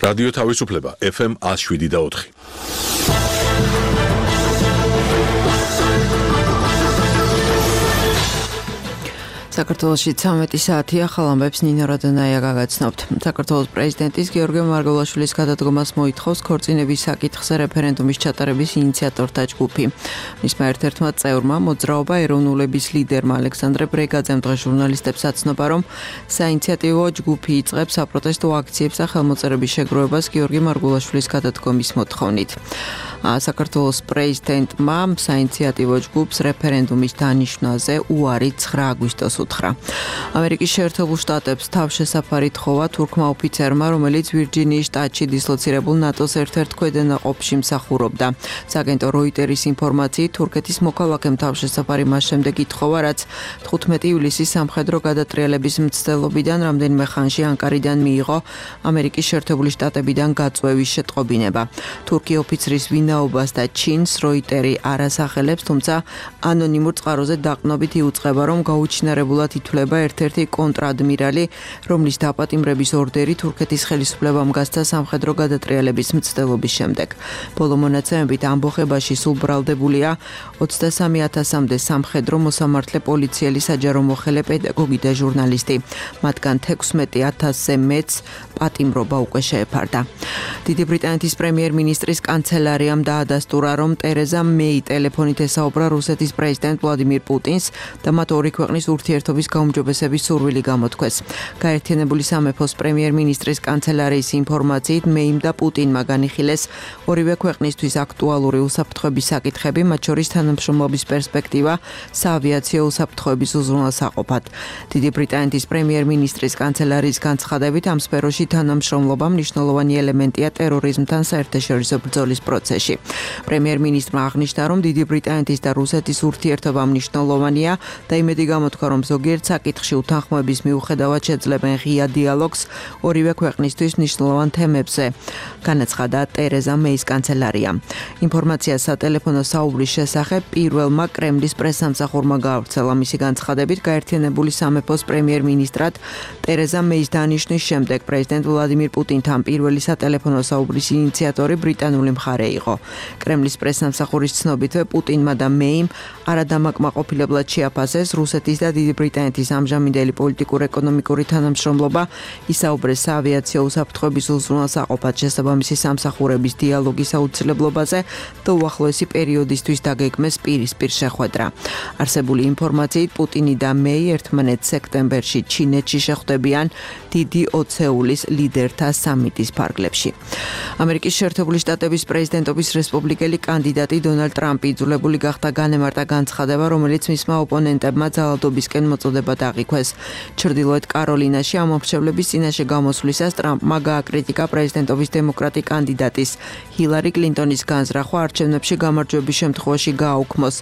რადიო თავისუფლება FM 107.4. საქართველოში 13 საათია ხალამბებს ნინო რადონაია გაგაცნობთ. საქართველოს პრეზიდენტის გიორგი მარგველაშვილის გადადგომას მოითხოვს ქორწინების საკითხზე რეფერენდუმის ჩატარების ინიციატორთა ჯგუფი. მისმა ერთ-ერთმა წევრმა მოძრაობა ეროვნულების ლიდერმა ალექსანდრე ბრეგაძემ დღეს ჟურნალისტებს აცნობა, რომ საინიციატივო ჯგუფი იწყებს საპროტესტო აქციებს და ხელმოწერების შეგროვებას გიორგი მარგველაშვილის გადადგომის მოთხოვნით. საქართველოს პრეზიდენტმა საინიციატივო ჯგუფს რეფერენდუმის დანიშვნაზე უარი 9 აგვისტოს უთხრა. ამერიკის შეერთებულ შტატებს თავშესაფარი თხოვა თურქმა ოფიცერმა, რომელიც ვირჯინიის შტატში დისლოცირებულ ნატოს ერთ-ერთ ქვედანაყოფში მსახურობდა. სააგენტო როიტერის ინფორმაციით, თურქეთის მოქალაქემ თავშესაფარი მას შემდეგ ითხოვა, რაც 15 ივლისის სამხედრო გადატრიალების მცდელობიდან რამდენიმე ხანში ანკარიდან მიიღო ამერიკის შეერთებული შტატებიდან გაწვევის შეტყობინება. თურქი ოფიცრის ვინაობას და ჩინს როიტერი არ ასახელებს, თუმცა ანონიმურ წყაროზე დაყრდნობით იუწყება, რომ გაუჩინარებულად ითვლება ერთ-ერთი კონტრადმირალი, რომლის დაპატიმრების ორდერი თურქეთის ხელისუფლებამ გასცა სამხედრო გადატრიალების მცდელობის შემდეგ. ბოლო მონაცემებით ამბოხებაში სულ ბრალდებულია 23,000-მდე სამხედრო მოსამართლე, პოლიციელი, საჯარო მოხელე, პედაგოგი და ჟურნალისტი. მათგან 16,000-ზე მეც პატიმრობა უკვე შეეფარდა. დიდი ბრიტანეთის პრემიერ-მინისტრის კანცელარიამ დაადასტურა, რომ ტერეზა მეი ტელეფონით ესაუბრა რუსეთის პრეზიდენტ ვლადიმირ პუტინს და მათ ორი ქვეყნის ურთიერთობის გაუმჯობესების სურვილი გამოთქვეს. გაერთიანებული სამეფოს პრემიერ-მინისტრის კანცელარიის ინფორმაციით, მეიმ და პუტინმა განიხილეს ორივე ქვეყნისთვის აქტუალური უსაფრთხოების საკითხები, მათ შორის თანამშრომლობის პერსპექტივა საავიაციო უსაფრთხოების უზრუნველსაყოფად. დიდი ბრიტანეთის პრემიერ-მინისტრის კანცელარიის განცხადებით, ამ სფეროში თანამშრომლობა მნიშვნელოვანი ელემენტია ტერორიზმთან საერთაშორისო ბრძოლის პროცესში. პრემიერ-მინისტრმა აღნიშნა, რომ დიდი ბრიტანეთის და რუსეთის ურთიერთობა მნიშვნელოვანია და იმედი გამოთქვა, რომ ზოგიერთ საკითხში უთანხმოების მიუხედავად შეძლებენ ღია დიალოგს ორივე ქვეყნისთვის მნიშვნელოვან თემებზე, განაცხადა ტერეზა მეის კანცელარია. ინფორმაცია სატელეფონო საუბრის შესახებ პირველმა კრემლის პრესსამსახურმა გაავრცელა. მისი განცხადებით, გაერთიანებული სამეფოს პრემიერ-მინისტრად ტერეზა მეის დანიშვნის შემდეგ პრეზიდენტ ვლადიმირ პუტინთან პირველი სატელეფონო საუბრის ინიციატორი ბრიტანული მხარე იყო. კრემლის პრესსამსახურის ცნობითვე, პუტინმა და მეიმ არადამაკმაყოფილებლად შეაფასეს რუსეთის და დიდი ბრიტანეთის ამჟამინდელი პოლიტიკურ-ეკონომიკური თანამშრომლობა, ისაუბრეს საავიაციო უსაფრთხოების უზრუნველსაყოფად შესაბამისი სამსახურების დიალოგის აუცილებლობაზე და უახლოესი პერიოდისთვის დაგეგმეს პირისპირ შეხვედრა. არსებული ინფორმაციით, პუტინი და მეი ერთმანეთს სექტემბერში ჩინეთში შეხვდებიან დიდი ოცეულის ლიდერთა სამიტის ფარგლებში. ამერიკის შეერთებული შტატების პრეზიდენტობის რესპუბლიკელი კანდიდატი დონალდ ტრამპი იძულებული გახდა განემარტა განცხადება, რომელიც მისმა ოპონენტებმა ძალადობისკენ მოწოდებად აღიქვეს. ჩრდილოეთ კაროლინაში ამ მომრჩევლების წინაშე გამოსვლისას ტრამპმა გააკრიტიკა პრეზიდენტობის დემოკრატი კანდიდატის ჰილარი კლინტონის განზრახვა, არჩევნებში გამარჯვების შემთხვევაში გააუქმოს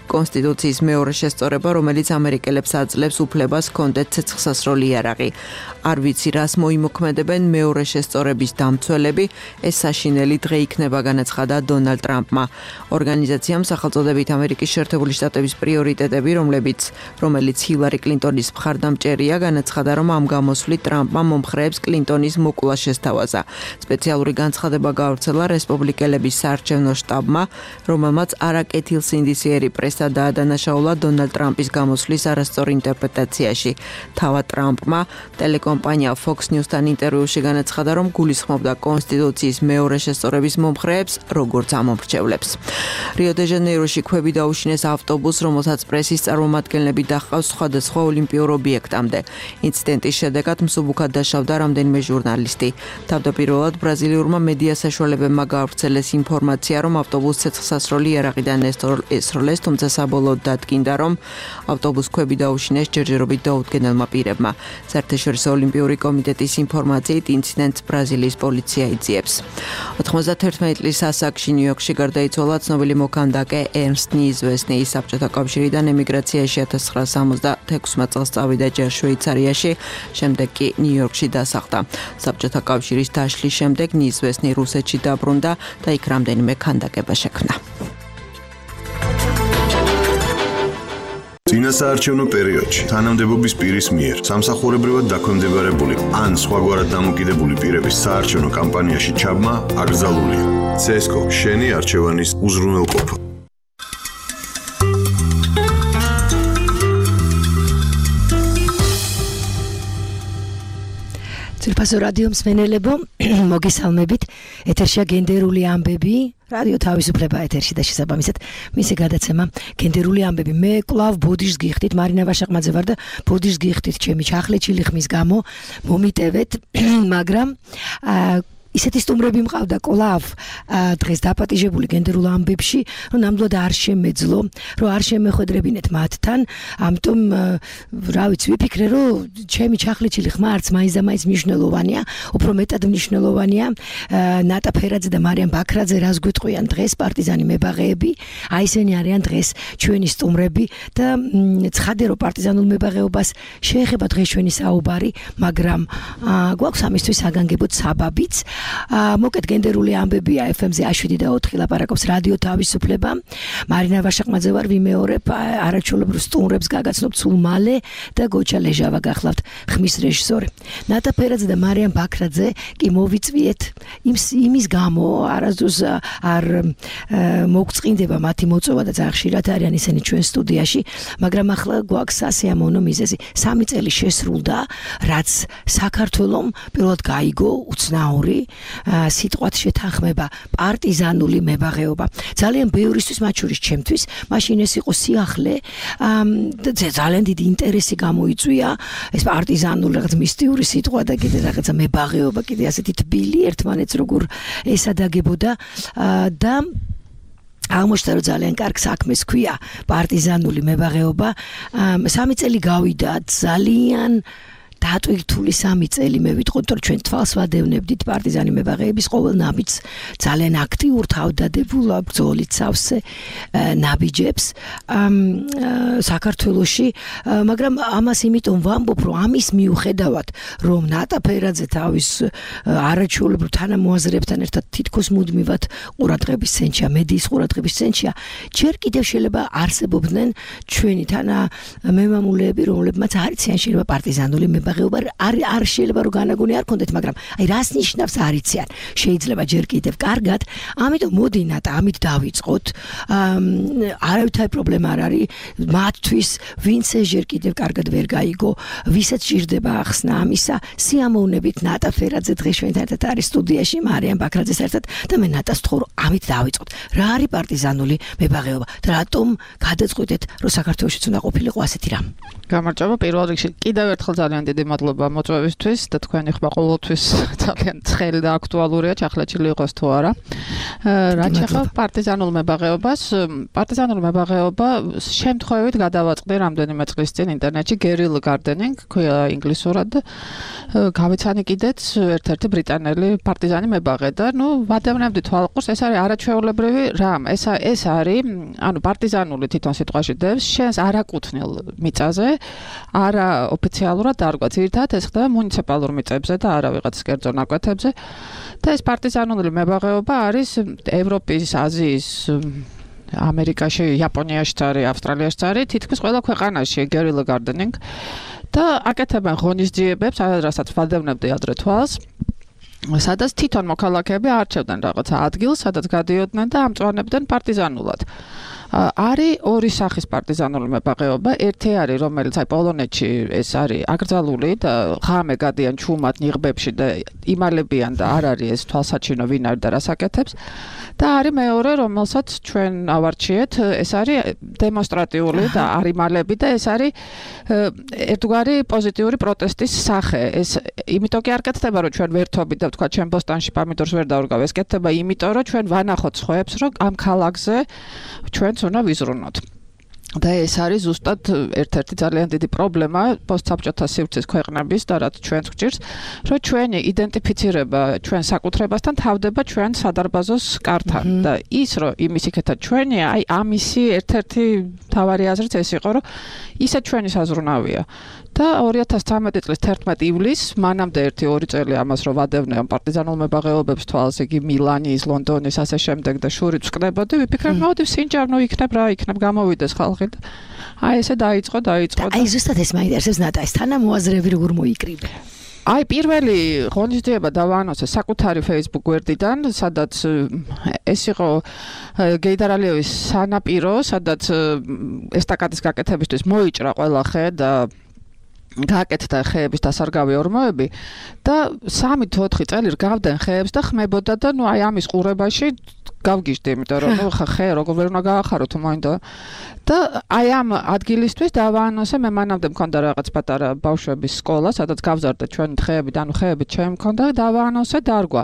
კონსტიტუციის მეორე შესწორება, რომელიც ამერიკელებს აძლევს უფლებას ჰქონდეთ ცეცხლსასროლი იარაღი. არ ვიცი, რას მოიმოქმედებენ მეორე შესწორების დამცველები, ეს საშინელი დღე იქნება, განაცხადა დონალდ ტრამპმა. ორგანიზაციამ სახელწოდებით ამერიკის შეერთებული შტატების პრიორიტეტები, რომელიც ჰილარი კლინტონის მხარდამჭერია, განაცხადა, რომ ამ გამოსვლით ტრამპმა მომხრეებს კლინტონის მოკლა შესთავაზა. სპეციალური განცხადება გაავრცელა რესპუბლიკელების საარჩევნო შტაბმა, რომელმაც არაკეთილსინდისიერი პრესა დაადანაშაულა დონალდ ტრამპის გამოსვლის არასწორ ინტერპრეტაციაში. თავად ტრამპმა ტელეკომპანია Fox News-თან ინტერვიუში განაცხადა, რომ გულისხმობდა კონსტიტუციის მეორე შესწორების მომხრეებს, როგორც ამომრჩევლებს. რიო-დე-ჟანეიროში ქვები დაუშინეს ავტობუსს, რომელსაც პრესის წარმომადგენლები დაჰყავს სხვადასხვა ოლიმპიურ ობიექტამდე. ინციდენტის შედეგად მსუბუქად დაშავდა რამდენიმე ჟურნალისტი. თავდაპირველად ბრაზილიურმა მედია საშუალებებმა გაავრცელეს ინფორმაცია, რომ ავტობუსს ცეცხლსასროლი იარაღიდან ესროლეს, თუმცა საბოლოოდ დადგინდა, რომ ავტობუსს ქვები დაუშინეს ჯერჯერობით დაუდგენელმა პირებმა. საერთაშორისო ოლიმპიური კომიტეტის ინფორმაციით, ინციდენტს ბრაზილიის პოლიცია იძიებს. 91 წლის ასაკში ნიუ-იორკში გარდაიცვალა ცნობილი მოქანდაკე ერნსტ ნიზვესნი. ის საბჭოთა კავშირიდან ემიგრაციაში 1976 წელს წავიდა ჯერ შვეიცარიაში, შემდეგ კი ნიუ-იორკში დასახლდა. საბჭოთა კავშირის დაშლის შემდეგ ნიზვესნი რუსეთში დაბრუნდა და იქ რამდენიმე ქანდაკება შექმნა. წინასაარჩევნო პერიოდში თანამდებობის პირის მიერ სამსახურებრივად დაქვემდებარებული ან სხვაგვარად დამოკიდებული პირების საარჩევნო კამპანიაში ჩაბმა აკრძალულია. CSGO შენი არჩევანის უზრუნველყოფა. ძვირფასო რადიო მსმენელებო, მოგესალმებით. ეთერშია გენდერული ამბები, რადიო თავისუფლება ეთერში და შესაბამისად მისი გადაცემა გენდერული ამბები. მე კლავ ბოდიშს გიხდით, მარინა ვაშაყმაძე ვარ და ბოდიშს გიხდით ჩემი ჩახლეჩილი ხმის გამო მომიტევეთ, მაგრამ ისეთი სტუმრები მყავდა კლავ დღეს დაპატიჟებული გენდერულ ამბებში, რომ ნამდვილად არ შემეძლო, რომ არ შემეხვედრებინეთ მათთან, ამიტომ რა ვიცი, ვიფიქრე, რომ ჩემი ჩახლეჩილი ხმა არც მაინც და მაინც მნიშვნელოვანია, უფრო მეტად მნიშვნელოვანია ნატა ფერაძე და მარიამ ბაქრაძე რას გვიტყვიან დღეს პარტიზანი მებაღეები, აი ესენი არიან დღეს ჩვენი სტუმრები და ცხადე რომ პარტიზანულ მებაღეობას შეეხება დღეს ჩვენი საუბარი, მაგრამ გვაქვს ამისთვის საგანგებოდ საბაბიც. მოკეთ გენდერული ამბებია FM-ზე 7 და 4 ლაპარაკობს რადიო თავისუფლება. მარინა ვაშაყმაძე ვარ, ვიმეორებ არაჩვეულებრივ სტუმრებს გაგაცნობ სულ მალე და გოჩა ლეჟავა გახლავთ ხმის რეჟისორი. ნატა ფერაძე და მარიამ ბაქრაძე კი მოვიწვიეთ იმის გამო არასდროს არ მოგწყინდება მათი მოწვევა და ძალიან ხშირად არიან ისინი ჩვენ სტუდიაში, მაგრამ ახლა გვაქვს სასიამოვნო მიზეზი. 3 წელი შესრულდა, რაც საქართველომ პირველად გაიგო უცნაური სიტყვათ შეთანხმება პარტიზანული მებაღეობა. ძალიან ბევრისთვის, მათ შორის ჩემთვის, მაშინ ეს იყო სიახლე, ძალიან დიდი ინტერესი გამოიწვია, ეს პარტიზანული რაღაც მისტიური სიტყვა და კიდე რაღაცა მებაღეობა, კიდე ასეთი თბილი ერთმანეთს როგორ ესადაგებოდა და აღმოჩნდა რომ ძალიან კარგ საქმეს ქვია პარტიზანული მებაღეობა. 3 წელი გავიდა ძალიან დატვირთული 3 წელი მე ვიტყოდ რომ ჩვენ თვალს ვადევნებდით პარტიზანი მებაღეების ყოველ ნაბიჯს ძალიან აქტიურ თავდადებულ ბრძოლით სავსე ნაბიჯებს საქართველოში, მაგრამ ამას იმიტომ ვამბობ რომ ამის მიუხედავად რომ ნატა ფერაძე თავის არაჩვეულებრივ თანამოაზრეებთან ერთად თითქოს მუდმივად ყურადღების ცენტრია, მედიის ყურადღების ცენტრია, ჯერ კიდევ შეიძლება არსებობდნენ ჩვენი თანამემამულეები, რომლებმაც არ იციან შეიძლება პარტიზანული არ შეიძლება რომ განაგონი არ ქონდეთ, მაგრამ აი რას ნიშნავს არ იციან, შეიძლება ჯერ კიდევ კარგად, ამიტომ მოდი ნატა ამით დავიწყოთ, არავითარი პრობლემა არ არის მათთვის, ვინც ჯერ კიდევ კარგად ვერ გაიგო, ვისაც ჭირდება ახსნა ამისა, სიამოვნებით ნატა ფერაძე დღეს ჩვენთან ერთად არის სტუდიაში, მარიამ ბაქრაძეს ერთად და მე ნატას ვთხოვ რომ ამით დავიწყოთ. რა არის პარტიზანული მებაღეობა და რატომ გადაწყვეტეთ რომ საქართველოშიც უნდა ყოფილიყო ასეთი რამ? გამარჯობა, პირველ რიგში კიდევ ერთხელ ძალიან დიდი მადლობა მოწვევისთვის და თქვენი ხმა ყოველთვის ძალიან ცხელი და აქტუალურია, ჩახლეჩილი იყოს თუ არა. რაც ახლა პარტიზანულ მებაღეობას, პარტიზანული მებაღეობა შემთხვევით გადავაწყდი რამდენიმე წლის წინ ინტერნეტში guerrilla gardening, ქვია ინგლისურად, გავიცანი კიდეც ერთ-ერთი ბრიტანელი პარტიზანი მებაღე და ვადევნებდი თვალყურს, ეს არის არაჩვეულებრივი რამ. ეს არის, ანუ პარტიზანული თვითონ სიტყვაში დევს, შენს არაკუთვნილ მიწაზე, არა ოფიციალურად დარგვა, ძირითადად ეს ხდება მუნიციპალურ მიწებზე და არა ვიღაც კერძო ნაკვეთებზე. და ეს პარტიზანული მებაღეობა არის ევროპის, აზიის, ამერიკაში, იაპონიაში არის, ავსტრალიაში არის, თითქმის ყველა ქვეყანაში guerrilla gardening და აკეთებენ ღონისძიებებს, რასაც ვადევნებდი ადრე თვალს. სადაც თვითონ მოქალაქეები არჩევდნენ რაღაცა ადგილს, სადაც გადიოდნენ და ამწვანებდნენ პარტიზანულად. არის ორი სახის პარტიზანული მებაღეობა, ერთი არის, რომელიც აი პოლონეთში ეს არის აკრძალული და ღამე გადიან ჩუმად ნიღბებში და იმალებიან და არ არის ეს თვალსაჩინო ვინ არის და რას აკეთებს. და არის მეორე, რომელსაც ჩვენ ავარჩიეთ, ეს არის დემონსტრატიული და არ იმალები და ეს არის ერთგვარი პოზიტიური პროტესტის სახე. ეს იმიტომ კი არ კეთდება, რომ ჩვენ ვერთობით და ვთქვა ჩვენ ბოსტანში პამიდორს ვერ დავრგავ, ეს კეთდება იმიტომ, რომ ჩვენ ვანახოთ სხვაებს, რომ ამ ქალაქზე ჩვენც უნდა ვიზრუნოთ. და ეს არის ზუსტად ერთ-ერთი ძალიან დიდი პრობლემა პოსტსაბჭოთა სივრცის ქვეყნების და რაც ჩვენს გვჭირს, რომ ჩვენი იდენტიფიცირება ჩვენ საკუთრებასთან თავდება ჩვენ სადარბაზოს კართან და ის რომ იმის იქეთა ჩვენია, აი ამისი ერთ-ერთი მთავარი აზრიც ეს იყო, რომ ისე ჩვენი საზრუნავია. და 2013 წლის 11 ივლისს მანამდე 1-2 წელი ამას რომ ვადევნე პარტიზანულ მებაღეობებს თვალს იგი მილანის, ლონდონის ასე შემდეგ და შურიც ვკდებოდი, ვიფიქრე, მოდი სინჯავნო იქნებ რა იქნებ, გამოვიდეს ხალხი ხალხი. აი ესე დაიწყო და აი ზუსტად ეს მაინტერესებს ნატა, ეს თანამოაზრეები როგორ მოიკრიბე? აი პირველი ღონისძიება დავაანონსე საკუთარი Facebook გვერდიდან, სადაც ეს იყო გეიდარ ალიევის სანაპირო, სადაც ესტაკადის გაკეთებისთვის მოიჭრა ყველა ხე და გააკეთდა ხეების დასარგავი ორმოები და 3-4 წელი რგავდნენ ხეებს და ხმებოდა და ნუ აი ამის ყურებაში გავგიჟდი, იმიტომ რომ ნუ ხე როგორ ვერ უნდა გაახარო თუ მოინდა და აი ამ ადგილისთვის დავაანონსე, მე მანამდე მქონდა რაღაც პატარა ბავშვების სკოლა, სადაც გავზარდა ჩვენი ხეები და ნუ ხეები ჩემ მქონდა და დავაანონსე დარგვა.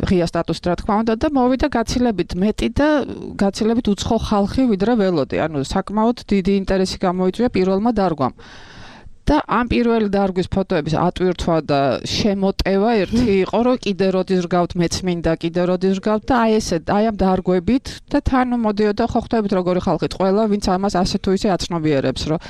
ღია სტატუსით რა თქმა უნდა და მოვიდა გაცილებით მეტი და გაცილებით უცხო ხალხი ვიდრე ველოდი. ანუ საკმაოდ დიდი ინტერესი გამოიწვია პირველმა დარგვამ. და ამ პირველი დარგვის ფოტოების ატვირთვა და შემოტევა ერთი იყო, რომ კიდე როდის რგავთ, მეც მინდა კიდე როდის რგავთ და აი ესე, აი ამ დარგვებით და თან მოდიოდა ხო ხვდებით როგორი ხალხით ყველა, ვინც ამას ასე თუ ისე აცნობიერებს, რომ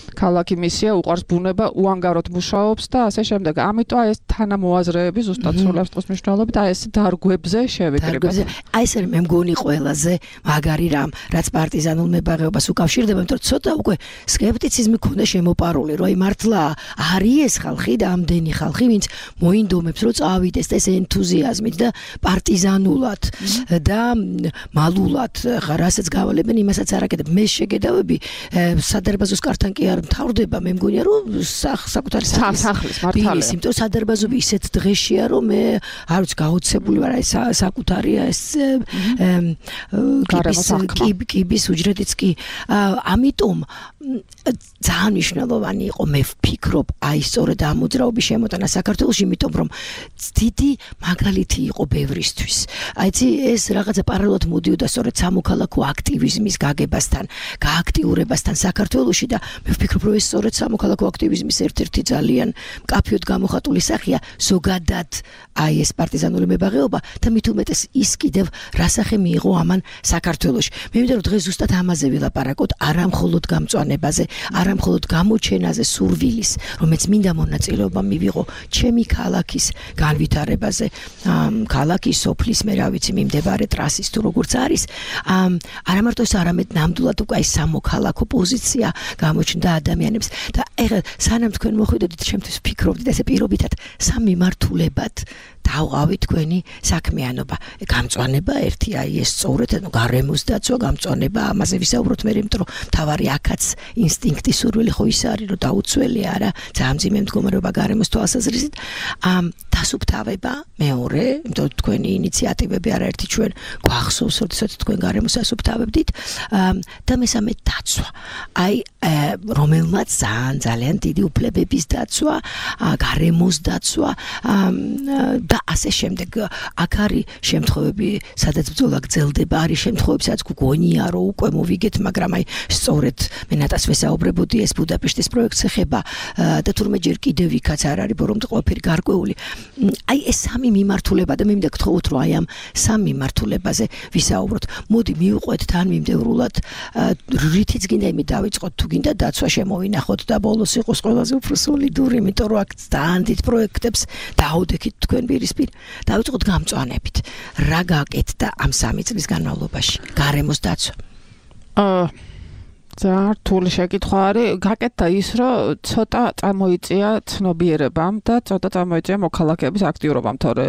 ქალაქი მისია უყარს ბუნება, უანგაროდ მუშაობს და ასე შემდეგ. ამიტომ აი ეს თანამოაზრეები ზუსტად სულებს წყოს მნიშვნელობით აი ეს დარგვებზე შევიკრიბეთ. აი ეს მე მგონი ყველაზე მაგარი რამ, რაც პარტიზანულ მებაღეობას უკავშირდება, იმიტომ რომ ცოტა უკვე სკეპტიციზმი ქონდა შემოპარული, რომ აი მართლა არის ეს ხალხი და ამდენი ხალხი, ვინც მოინდომებს, რომ წავიდეს ეს ენთუზიაზმით და პარტიზანულად და მალულად, ხა რასაც გავალებენ, იმასაც არ აკეთებ. მე შეგედავები სადარბაზოს კართან კი არ მთავრდება, მე მგონია რომ საკუთარი სახლის მართალია. იმიტომ სადარბაზობი ისეთ დღეშია, რომ მე არ ვიცი გაოცებული ვარ აი საკუთარია ეს კიბის უჯრედიც კი. ამიტომ ძალიან მნიშვნელოვანი იყო, მე ვფიქრობ, აი სწორედ ამ მოძრაობის შემოტანა საქართველოში, იმიტომ რომ დიდი მაგალითი იყო ბევრისთვის. აიცი ეს რაღაცა პარალელურად მოდიოდა სწორედ სამოქალაქო აქტივიზმის გაგებასთან, გააქტიურებასთან საქართველოში და მე ვფიქრობ, რომ ეს სწორედ სამოქალაქო აქტივიზმის ერთ-ერთი ძალიან მკაფიოდ გამოხატული სახეა ზოგადად აი ეს პარტიზანული მებაღეობა და მით უმეტეს ის კიდევ რასახე მიიღო ამან საქართველოში. მე მინდა რომ დღეს ზუსტად ამაზე ვილაპარაკოთ, არა მხოლოდ გამწვანებაზე, არა მხოლოდ გამოჩენაზე სურვილის, რომელიც მინდა მონაწილეობა მივიღო ჩემი ქალაქის განვითარებაზე, ქალაქის სოფლის მე რა ვიცი მიმდებარე ტრასის თუ როგორც არის, არა მარტო ეს, არამედ ნამდვილად უკვე აი სამოქალაქო პოზიცია გამოჩნდა ადამიანებს და ეხლა სანამ თქვენ მოხვიდოდით, ჩემთვის ვფიქრობდით ესე პირობითად სამიმართულებად დავყავი თქვენი საქმიანობა. გამწვანება ერთი აი ეს სწორედ, ანუ გარემოს დაცვა, გამწვანება, ამაზე ვისაუბროთ მე, იმიტომ რომ თავარი აქაც ინსტინქტი სურვილი ხო ის არის, რომ დაუცველია არა, ძალიან მძიმე მდგომარეობა გარემოს თვალსაზრისით. დასუფთავება მეორე, იმიტომ რომ თქვენი ინიციატივები არაერთი ჩვენ გვახსოვს, როდესაც თქვენ გარემოს ასუფთავებდით და მესამე დაცვა. აი რომელმაც ძალიან დიდი უფლებების დაცვა, გარემოს დაცვა და ასე შემდეგ. აქ არის შემთხვევები, სადაც ბრძოლა გრძელდება, არის შემთხვევები, სადაც გგონია, რომ უკვე მოვიგეთ, მაგრამ აი სწორედ მე ნატას ვესაუბრებოდი, ეს ბუდაპეშტის პროექტს ეხება და თურმე ჯერ კიდევ იქაც არ არის ბორომდე ყველაფერი გარკვეული. აი ეს სამი მიმართულება და მე მინდა გთხოვოთ, რომ აი ამ სამ მიმართულებაზე ვისაუბროთ. მოდი მივყვეთ თან მიმდევრულად, რითიც გინდა იმით დავიწყოთ, თუ გინდა დაცვა შემოვინახოთ და ბოლოს იყოს ყველაზე უფრო სოლიდური, იმიტომ რომ აქ ძალიან დიდ პროექტებს დაუდექით თქვენ პირისპირ. დავიწყოთ გამწვანებით. რა გააკეთდა ამ 3 წლის განმავლობაში? გარემოს დაცვა. ძალიან რთული შეკითხვა არის. გაკეთდა ის, რომ ცოტა წამოიწია ცნობიერებამ და ცოტა წამოიწია მოქალაქეების აქტიურობამ, თორე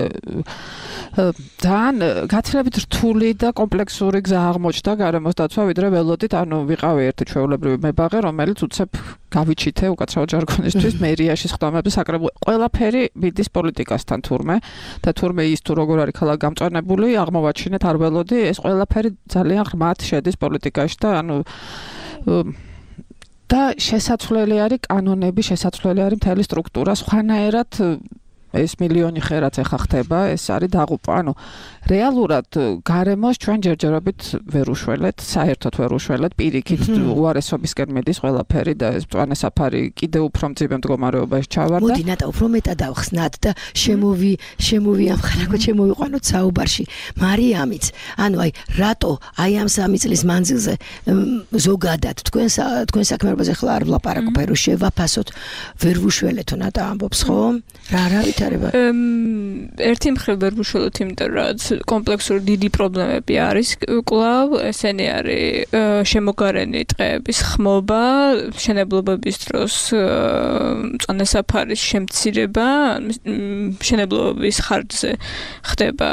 ძალიან გაცილებით რთული და კომპლექსური გზა აღმოჩნდა გარემოს დაცვა, ვიდრე ველოდით, ანუ ვიყავი ერთი ჩვეულებრივი მებაღე, რომელიც უცებ გავიჩითე უკაცრავ ჟარგონისთვის მერიაში სხდომები საკრებულო. ყველაფერი მიდის პოლიტიკასთან თურმე და თურმე ის თუ როგორ არის ქალაქ გამწვანებული, აღმოვაჩინეთ არ ველოდი, ეს ყველაფერი ძალიან ღრმად შედის პოლიტიკაში და ანუ და შესაძლებელი არის კანონები, შესაძლებელი არის მთელი სტრუქტურა, სხვანაირად ეს მილიონი ხე რაც ეხა ხდება, ეს არის დაღუპვა. ანუ რეალურად გარემოს ჩვენ ჯერჯერობით ვერ უშველეთ, საერთოდ ვერ უშველეთ, პირიქით უარესობისკენ მიდის ყველაფერი და ეს მწვანე საფარი კიდევ უფრო მძიმე მდგომარეობაში ჩავარდა. მოდი ნატა უფრო მეტად ავხსნათ და შემოვიამხარაგოთ, შემოვიყვანოთ საუბარში. მარიამიც, ანუ აი რატო აი ამ 3 წლის მანძილზე ზოგადად თქვენ საქმეებზე ხლა არ ვლაპარაკობ, რომ შევაფასოთ, ვერ ვუშველეთო ნატა ამბობს, ხო? რა არავით ვითარება? ერთი მხრივ ვერ ვუშველოთ, იმიტომ რომ კომპლექსური დიდი პრობლემები არის კვლავ, ესენი არის შემოგარენი ტყეების ხმობა, მშენებლობების დროს მწვანე საფარის შემცირება, მშენებლობების ხარჯზე ხდება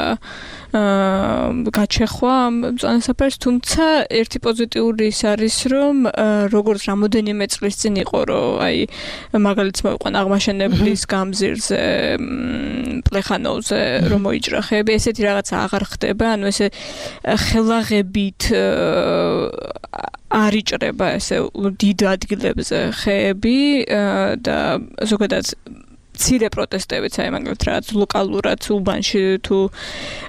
გაჩეხვა მწვანე საფარის, თუმცა ერთი პოზიტიური ის არის, რომ როგორც რამოდენიმე წლის წინ იყო, რომ აი მაგალითს მოვიყვან აღმაშენებლის გამზირზე პლეხანოვზე რომ მოიჭრა ხეები, ესეთი რაღაცა აღარ ხდება, ანუ ესე ხელაღებით არ იჭრება ესე დიდ ადგილებზე ხეები და ზოგადად მცირე პროტესტებიც აი მაგალითად რაღაც ლოკალურად უბანში თუ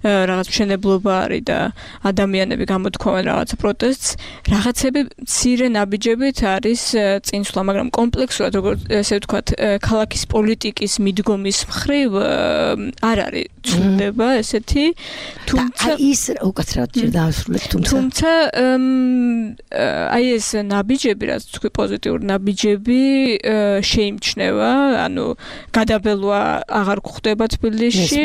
რაღაც მშენებლობა არის და ადამიანები გამოთქვამენ რაღაც პროტესტს, რაღაცები მცირე ნაბიჯებით არის წინსვლა, მაგრამ კომპლექსურად როგორც ესე ვთქვათ, ქალაქის პოლიტიკის მიდგომის მხრივ არ არის ცვლილება ესეთი, თუმცა ის უკაცრავად ჯერ დაასრულეთ, თუმცა აი ეს ნაბიჯები, რაც თქვი პოზიტიური ნაბიჯები შეიმჩნევა, ანუ გადაბელვა აღარ გვხდება თბილისში.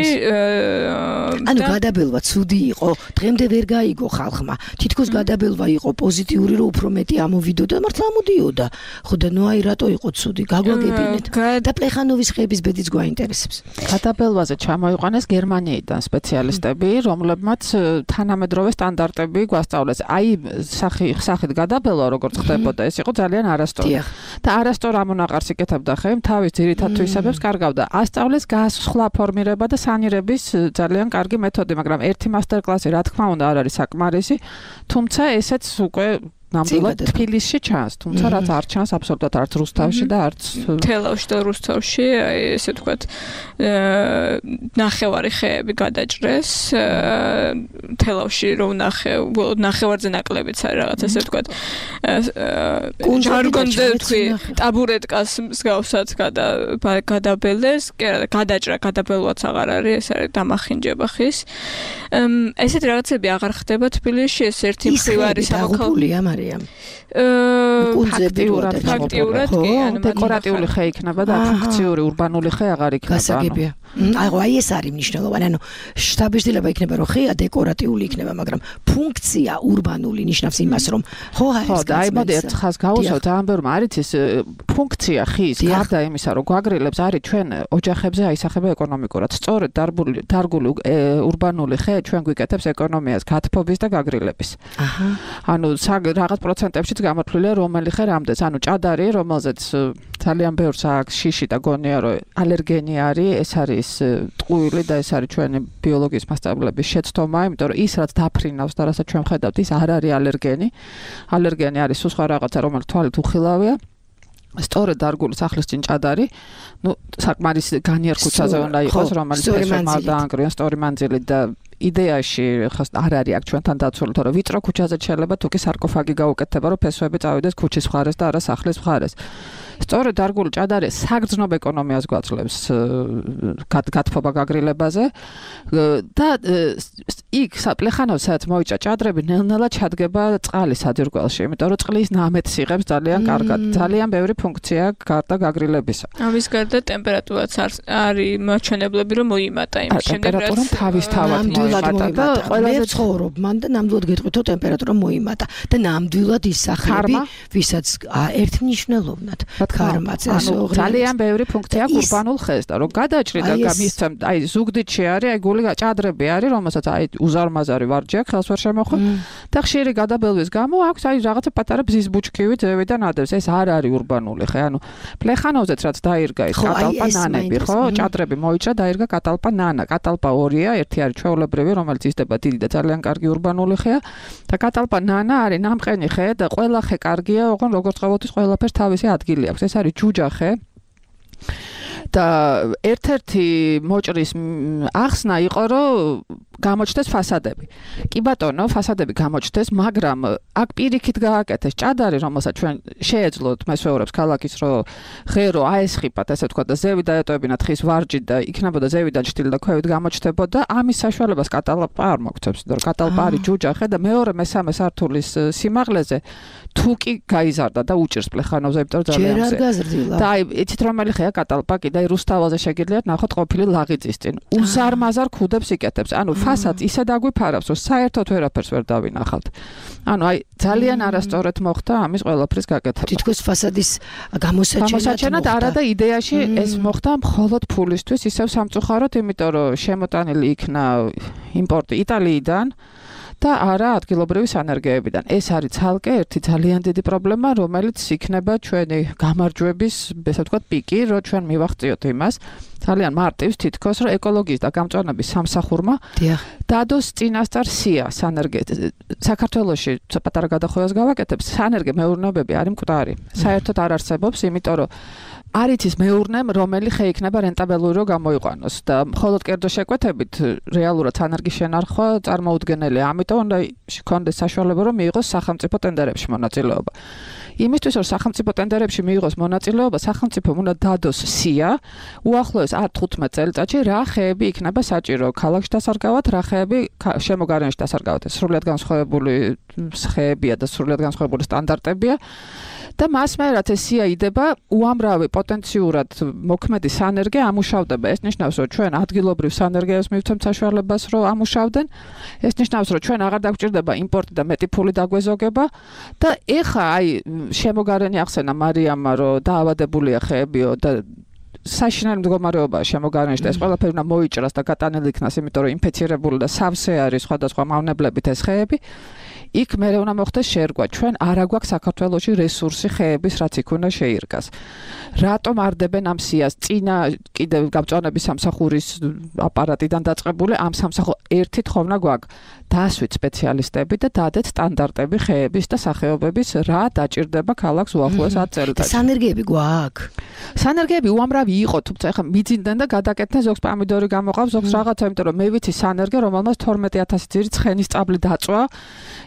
ანუ გადაბელვა ცუდი იყო, დღემდე ვერ გაიგო ხალხმა. თითქოს გადაბელვა იყო პოზიტიური, რომ უფრო მეტი ამოვიდოდა, მართლა ამოდიოდა. ხო და ნუ აი რატო იყო ცუდი? გაგვაგებინეთ. და პლეხანოვის ხეების ბედიც გვაინტერესებს. გადაბელვაზე ჩამოიყვანეს გერმანიიდან სპეციალისტები, რომლებმაც თანამედროვე სტანდარტები გვასწავლეს. აი სახით გადაბელვა როგორც ხდებოდა, ეს იყო ძალიან არასწორი. და არასწორ ამონაყარს იკეთებდა ხემ თავის ძირითად თვისებებს კარგავდა. ასწავლეს გასხლა ფორმირება და სანირების ძალიან კარგი მეთოდი, მაგრამ ერთი მასტერკლასი რა თქმა უნდა არ არის საკმარისი, თუმცა ესეც უკვე ნამდვილად თბილისში ჩანს, თუმცა რაც არ ჩანს აბსოლუტურად არც რუსთავში და არც თელავში და რუსთავში, აი ესე ვთქვათ, ნახევარი ხეები გადაჭრეს, თელავში რომ ნახევარზე ნაკლებიც არის რაღაც ესე ვთქვათ, ჟარგონზე ვთქვი, ტაბურეტკას მსგავსად გადაბელეს, გადაჭრა, გადაბელვაც აღარ არის, ეს არის დამახინჯება ხის. ესეთი რაღაცები აღარ ხდება თბილისში, ეს ერთი მხრივ არის სამოქალაქო ფაქტიურად კი, ანუ დეკორატიული ხე იქნება და ფუნქციური ურბანული ხე აღარ იქნება. გასაგებია. აი ეს არის მნიშვნელოვანი, ანუ შთაბეჭდილება იქნება, რომ ხეა დეკორატიული იქნება, მაგრამ ფუნქცია ურბანული ნიშნავს იმას, რომ ხო აი მოდი ერთ ხაზს გავუსვათ, ამ ბევრმა არის ეს ფუნქცია ხის, გარდა იმისა, რომ გვაგრილებს არის ჩვენ ოჯახებზე აისახება ეკონომიკურად. სწორედ დარგული ურბანული ხე ჩვენ გვიკეთებს ეკონომიას, გათბობის და გაგრილების. ანუ რაღაც პროცენტებშიც გამოთვლილია რომელი ხე რამდენს, ანუ ჭადარი, რომელზეც ძალიან ბევრს აქვს შიში და გონია, რომ ალერგენი არის, ეს არის ტყუილი და ეს არის ჩვენი ბიოლოგიის მასწავლებლების შეცდომა, იმიტომ რომ ის რაც დაფრინავს და რასაც ჩვენ ხედავთ, ის არ არის ალერგენი. ალერგენი არის სხვა რაღაცა, რომელიც თვალით უხილავია. სწორედ დარგული სახლის წინ ჭადარი, ნუ საკმარისი განიერ ქუჩაზე უნდა იყოს, რომელიც ფესვებმა დაანგრიონ სწორი მანძილით და იდეაში ხას არ არის აქ ჩვენთან დაცული, თორე ვიწრო ქუჩაზე შეიძლება თუ კი სარკოფაგი გაუკეთება, რომ ფესვები წავიდეს ქუჩის მხარეს და არა სახლის მხარეს. სწორედ დარგული ჭადარი საგრძნობ ეკონომიას გვაძლევს გათბობა გაგრილებაზე და იქ პლეხანოვსაც მოიჭრა ჭადრები ნელ-ნელა ჩადგება წყალი საძირკველში, იმიტომ რომ წყლის ნამეთს იღებს ძალიან კარგად. ძალიან ბევრი ფუნქცია გარდა გაგრილებისა. ამის გარდა ტემპერატურაც არის მაჩვენებლები, რომ მოიმატა იმ შემდეგ რაც თავისთავად მოიმატა და ყველაზე ცხოვრობ მან და ნამდვილად გეტყვით, რომ ტემპერატურა მოიმატა და ნამდვილად ის სახლები, ვისაც ერთმნიშვნელოვნად ქარმაც ძალიან ბევრი ფუნქცია ურბანულ ხეს და რომ გადაჭრი და გამისცემ აი ზუგდიდში არის აი გული ჭადრები არის რომელსაც აი უზარმაზარი ვარჯი აქვს ხელს ვერ შემოხვ და ხშირი გადაბელვის გამო აქვს აი რაღაცა პატარა ბზის ბუჩქივი ძევიდან ადევს ეს არ არის ურბანული ხე ანუ პლეხანოვზეც რაც დაირგა ის კატალპა ნანები ხო ჭადრები მოიჭრა დაირგა კატალპა ნანა კატალპა ორია ერთი არის ჩვეულებრივი რომელიც იზრდება დიდი და ძალიან კარგი ურბანული ხეა და კატალპა ნანა არის ნამყენი ხე და ყველა ხე კარგია ოღონ როგორც ყოველთვის ყველაფერს თავისი ადგილი აქვს ეს არის ჯუჯა ხე და ერთ-ერთი მოჭრის ახსნა იყო რომ გამოჩნდეს ფასადები. კი ბატონო, ფასადები გამოჩნდეს, მაგრამ აქ პირიქით გააკეთეს ჭადარი, რომელსაც ჩვენ შეეძლოთ მესვეურებს ქალაქის რომ ღერო აესხიფათ, ესე ვთქვა და ზევი დაეტოვებინათ ხის ვარჯი და იქნებოდა ზევიდან ჭრილი და ქვევით გამოჩნდებოდა, ამის საშუალებას კატალპა არ მოგცემს, იმიტომ რომ კატალპა არის ჯუჯახე და მეორე მესამე სართულის სიმაღლეზე თუ კი გაიზარდა და უჭირს პლეხანოვზე, იმიტომ რომ ძალიან ჯერ არ გაზრდილა. და აი, იცით რომელი ხეა კატალპა კიდე აი რუსთავაზე შეგიძლიათ ნახოთ ყოფილი ლაღიწის წინ. უზარმაზარ ქუდებს იკეთებს. ანუ ფასადს ისე დაგვიფარავს, რომ საერთოდ ვერაფერს ვერ დავინახავთ. ანუ აი ძალიან არასწორად მოხდა ამის ყველაფრის გაკეთება. თითქოს ფასადის გამოსაჩენად არა და იდეაში ეს მოხდა მხოლოდ ფულისთვის, ისევ სამწუხაროდ, იმიტომ რომ შემოტანილი იქნა იმპორტი იტალიიდან და არა ადგილობრივი სანერგეებიდან. ეს არის ცალკე ერთი ძალიან დიდი პრობლემა, რომელიც იქნება ჩვენი გამარჯვების, ესე ვთქვათ, პიკი, რომ ჩვენ მივახციოთ იმას. ძალიან მარტივს თითქოს, რომ ეკოლოგიის და გამწვანების სამსახურმა დადოს წინასწარ სია საქართველოში პატარა გადახვევას გავაკეთებ, სანერგე მეურნეობები არის მკვდარი. საერთოდ არ არსებობს, იმიტომ რომ არის ის მეურნემ, რომელი ხე იქნება რენტაბელური რომ გამოიყვანოს და მხოლოდ კერძო შეკვეთებით რეალურად სანერგის შენარხვა წარმოუდგენელია. ამიტომ უნდა გქონდეს საშუალება რომ მიიღოს სახელმწიფო ტენდერებში მონაწილეობა. იმისთვის რომ სახელმწიფო ტენდერებში მიიღოს მონაწილეობა, სახელმწიფომ უნდა დადოს სია უახლოეს 15 წელიწადში რა ხეები იქნება საჭირო ქალაქში დასარგავად, რა ხეები შემოგარენში დასარგავად. სრულიად განსხვავებული ხეებია და სრულიად განსხვავებული სტანდარტებია. და მას მე რაც ეს სია იდება, უამრავი პოტენციურად მოქმედი სანერგე ამუშავდება. ეს ნიშნავს, რომ ჩვენ ადგილობრივ სანერგეებს მივცემთ საშუალებას, რომ ამუშავდნენ. ეს ნიშნავს, რომ ჩვენ აღარ დაგვჭირდება იმპორტი და მეტი ფული დაგვეზოგება და ეხა აი შემოგარენი ახსენა მარიამმა, რომ დაავადებულია ხეებიო და საშინელი მდგომარეობაა შემოგარენში და ეს ყველაფერი უნდა მოიჭრას და გატანილი იქნას, იმიტომ რომ ინფექცირებული და სავსე არის სხვადასხვა მავნებლებით ეს ხეები. იქ მე უნდა მოხდეს შერგვა. ჩვენ არ აგვაქვს საქართველოში რესურსი ხეების, რაც იქ უნდა შეირგას. რატომ არდებენ ამ სიას? წინა კიდევ გამწვანების სამსახურის აპარატიდან დაწყებული ამ სამსახურ ერთი თხოვნა გვაქვს. დაასვით სპეციალისტები და დადეთ სტანდარტები ხეების და სახეობების, რა დაჭირდება ქალაქს უახლოეს 10 წელიწადში. სანერგეები გვაქვს. სანერგეები უამრავი იყო, თუმცა ეხლა მიძინდნენ და გადაკეთდნენ, ზოგს პამიდორი გამოყავს, ზოგს რაღაცა, იმიტომ რომ მე ვიცი სანერგე, რომელმაც 12000 ძირი ცხენის წაბლი დაწვა.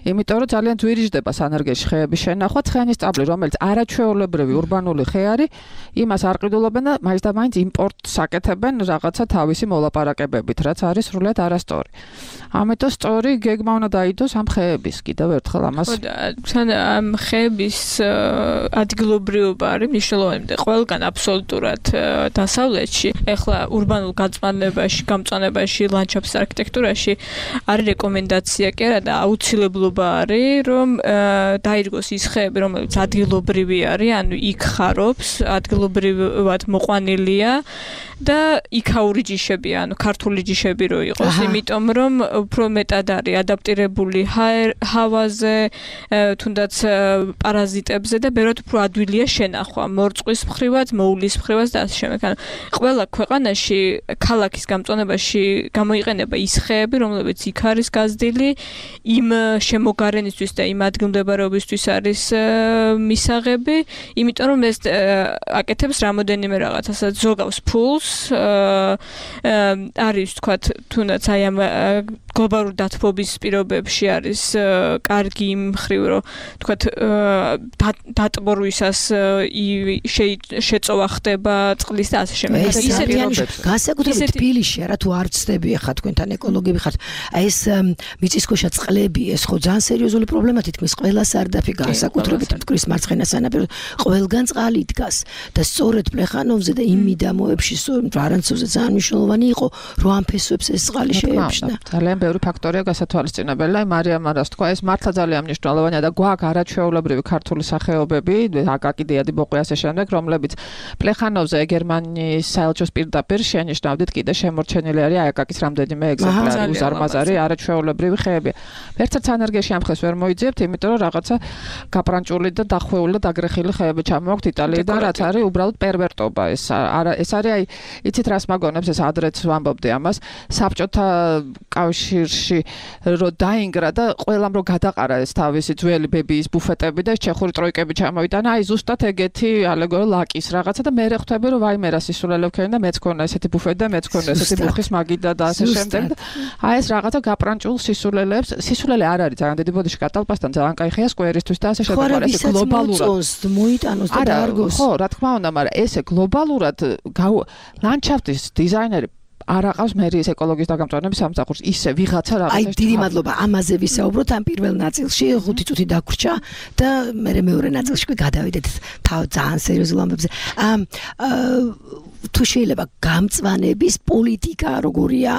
იმიტომ რომ ძალიან ძვირიжდება სანერგეში ხეების შენახვა, ცხენის წაბლი, რომელიც არაჩვეულებრივი ურბანული ხე არის, იმას არ ყიდულობენ და მაინც და მაინც იმპორტს აკეთებენ რაღაცა თავისი მოლაპარაკებებით, რაც არის სრულიად არასწორი. ამიტომ სწორი გეგმა უნდა დაიდოს ამ ხეების კიდევ ერთხელ ამას. თან ამ ხეების ადგილობრივობა არის მნიშვნელოვანი და ყველგან აბსოლუტურად დასავლეთში, ეხლა ურბანულ გამწვანებაში, ლანდშაფტის არქიტექტურაში არის რეკომენდაცია კი არა და აუცილებლობა არის, რომ დაირგოს ის ხეები, რომელიც ადგილობრივი არის, ანუ იქ ხარობს, ადგილობრივად მოყვანილია და იქაური ჯიშები, ანუ ქართული ჯიშები რო იყოს, იმიტომ რომ უფრო მეტად არის ადაპტირებული ჰავაზე, თუნდაც პარაზიტებზე და ბევრად უფრო ადვილია შენახვა, მორწყვის მხრივად, მოულის მხრივად და ასე შემდეგ. ანუ ყველა ქვეყანაში ქალაქის გამწვანებაში გამოიყენება ის ხეები, რომლებიც იქ არის გაზრდილი, იმ შემოგარენისთვის და იმ ადგილმდებარეობისთვის არის მისაღები, იმიტომ რომ ეს აკეთებს რამოდენიმე რაღაცასაც ზოგავს ფულს, არის თქვათ თუნდაც აი ამ გლობალურ დათბობის პირობებში არის კარგი იმ მხრივ, რომ თქვათ დატბორვისას შეწოვა ხდება წყლის და ასე შემდეგ. განსაკუთრებით თბილისში არა თუ არ ცდები ახლა თქვენთან ეკოლოგები ხართ. აი ეს მიწისქვეშა წყლები, ეს ხო ძალიან სერიოზული პრობლემა თითქმის ყველა სარდაფი განსაკუთრებით მტკვრის მარცხენა სანაპიროზე ყველგან წყალი დგას და სწორედ პლეხანოვზე და იმ მიდამოებში ვარანცოვზე ძალიან მნიშვნელოვანი იყო, რომ ამ ფესვებს ეს წყალი შეებშნა. ძალიან ბევრი ფაქტორია გასათვალისწინებელი. აი მარიამ რას თქვა, ეს მართლა ძალიან მნიშვნელოვანია და გვაქვს არაჩვეულებრივი ქართული სახეობები, აკაკი დიადი ბოყვი ასე შემდეგ, რომლებიც პლეხანოვზე გერმანიის საელჩოს პირდაპირ შენიშნავდით, კიდე შემორჩენილი არის აკაკის რამდენიმე ეგზემპლარი, უზარმაზარი არაჩვეულებრივი ხეებია. ერთ-ერთ სანერგეში ამ ხეს ვერ მოიძიებთ, იმიტომ რომ რაღაცა გაპრანჭული და დახვეული და დაგრეხილი ხეები ჩამოვაქვთ იტალიიდან, რაც არის უბრალოდ პერვერტობა. ეს არის აი იცით რას მაგონებს, ეს ადრეც ვამბობდი ამას, საბჭოთა კავშირში რო დაინგრა და ყველამ რო გადაყარა ეს თავისი ძველი ბებიის ბუფეტები და ეს ჩეხური ტროიკები ჩამოიტანა, აი ზუსტად ეგეთი ალეგორო ლაკის რაღაცა და მე ხვდები რომ ვაიმე რა სისულელე ვქენი და მეც ქონა ესეთი ბუფეტი და მეც ქონა ესეთი ბუხის მაგიდა და ასე შემდეგ. აი ეს რაღაცა გაპრანჭულ სისულელეებს, სისულელე არ არის ძალიან დიდი ბოდიში კატალპასთან ძალიან კაი ხეა სკვერისთვის და ასე შემდეგ. ეს გლობალურად მოიტანოს და დაარგოს. ხო, რა თქმა უნდა, მაგრამ ესე გლობალურად ლანდშაფტის დიზაინერი არ აყავს მერიის ეკოლოგიის დაგამწვანების სამსახურს ისე ვიღაცა რაღაცა. აი დიდი მადლობა ამაზე ვისაუბროთ ამ პირველ ნაწილში 5 წუთი დაგვრჩა და მე მეორე ნაწილში გადავიდეთ ძალიან სერიოზულ ამბებზე. თუ შეიძლება გამწვანების პოლიტიკა როგორია,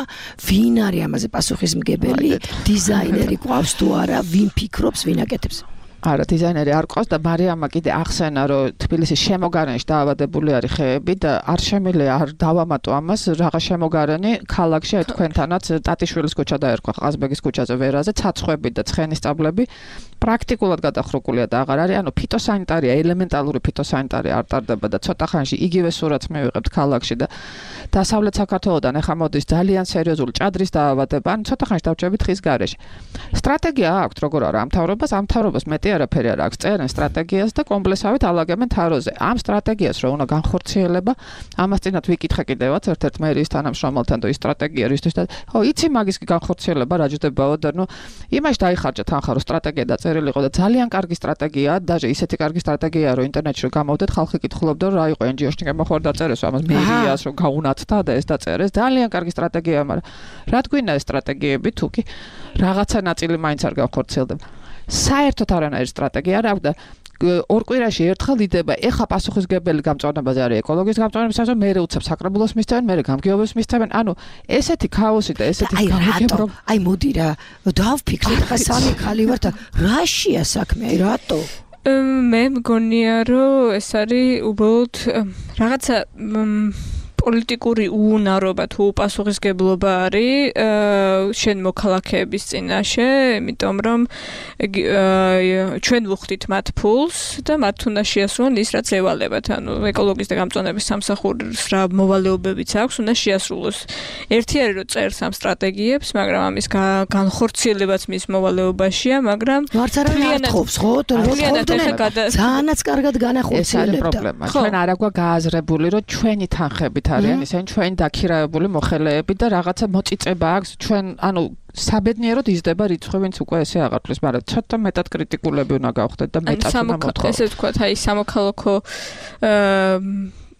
ვინ არის ამაზე პასუხისმგებელი, დიზაინერი ყავს თუ არა, ვინ ფიქრობს, ვინ აკეთებს? არა, დიზაინერი არ ყავს და მარიამმა კიდე ახსენა, რომ თბილისის შემოგარენში დაავადებული არის ხეები და არ შემიძლია არ დავამატო ამას, რაღაც შემოგარენი ქალაქში აი თქვენთანაც ტატიშვილის ქუჩა დაერქვა ყაზბეგის ქუჩაზე ვერაზე, ცაცხვები და ცხენის სტაბლები პრაქტიკულად გადახრუკულია და აღარ არის, ანუ ფიტოსანიტარია, ელემენტალური ფიტოსანიტარია არ ტარდება და ცოტა ხანში იგივე სურათს მივიღებთ ქალაქში და დასავლეთ საქართველოდან ახლა მოდის ძალიან სერიოზული ჭადრის დაავადება, ანუ ცოტა ხანში დავჭებით ხის გარეშე. სტრატეგია აქვს როგორ არა ამ მთავრობას მეტი არაფერი არ აქვს, წერენ სტრატეგიას და კომპლექსავით ალაგებენ თაროზე. ამ სტრატეგიას რო უნდა განხორციელება, ამას წინათ ვიკითხე კიდევაც ერთ-ერთ მერიის თანამშრომელთან და ის სტრატეგია რისთვის და ხო, იცი მაგის განხორციელება რა ჯდებაო და ნუ იმაში დაიხარჯა თანხა რომ სტრატეგია დაწერილიყო და ძალიან კარგი სტრატეგიაა, დაჟე ისეთი კარგი სტრატეგიაა რომ ინტერნეტში რო გამოვდეთ, ხალხი კითხულობდა რომ რა იყო NGO-ში გამოხარ დაწერეს ამას მერიას რომ გაუნათდა და ეს დაწერეს. ძალიან კარგი სტრატეგიაა, მაგრამ რა თქინა ეს სტრატეგიები თუკი რაღაცა ნაწილი მაინც არ განხორციელდება. საერთოდ არანაირი სტრატეგია არ აქვს და ორ კვირაში ერთხელ იდება. ეხა პასუხისმგებელი გამწვანებაზე არის ეკოლოგიის გამწვანების სასამართლო, მერე უცებ საკრებულოს მისცემენ, მერე გამგეობებს მისცემენ. ანუ ესეთი ქაოსი და ესეთი გამგეობრო. აი მოდი რა, დავფიქრეთ, ხა სამი ხალი ვართ, რაშია საქმე, აი რატო? მე მგონია რომ ეს არის უბრალოდ რაღაცა პოლიტიკური უუნარობა თუ უპასუხისმგებლობა არის შენ მოქალაქეების წინაშე, იმიტომ რომ ჩვენ ვუხდით მათ ფულს და მათ უნდა შეასრულონ ის რაც ევალებათ. ანუ ეკოლოგიის და გამწვანების სამსახურს რა მოვალეობებიც აქვს, უნდა შეასრულოს. ერთი არის რომ წერს ამ სტრატეგიებს, მაგრამ ამის განხორციელებაც მის მოვალეობაშია, მაგრამ არც არ ათხოვს, ხო? ძალიანაც კარგად განახორციელებდა. ეს არის პრობლემა. ჩვენ არ აქვს გააზრებული, რომ ჩვენი თანხებით არიან ისინი ჩვენ დაქირავებული მოხელეები და რაღაცა მოწიწება აქვს ჩვენ ანუ საბედნიეროდ იზრდება რიცხვი ვინც უკვე ესე აღარ თulis, მაგრამ ცოტა მეტად კრიტიკულები უნდა გავხდეთ და მეტად უნდა მოთხოვოთ. ესე ვთქვათ, აი სამოქალაქო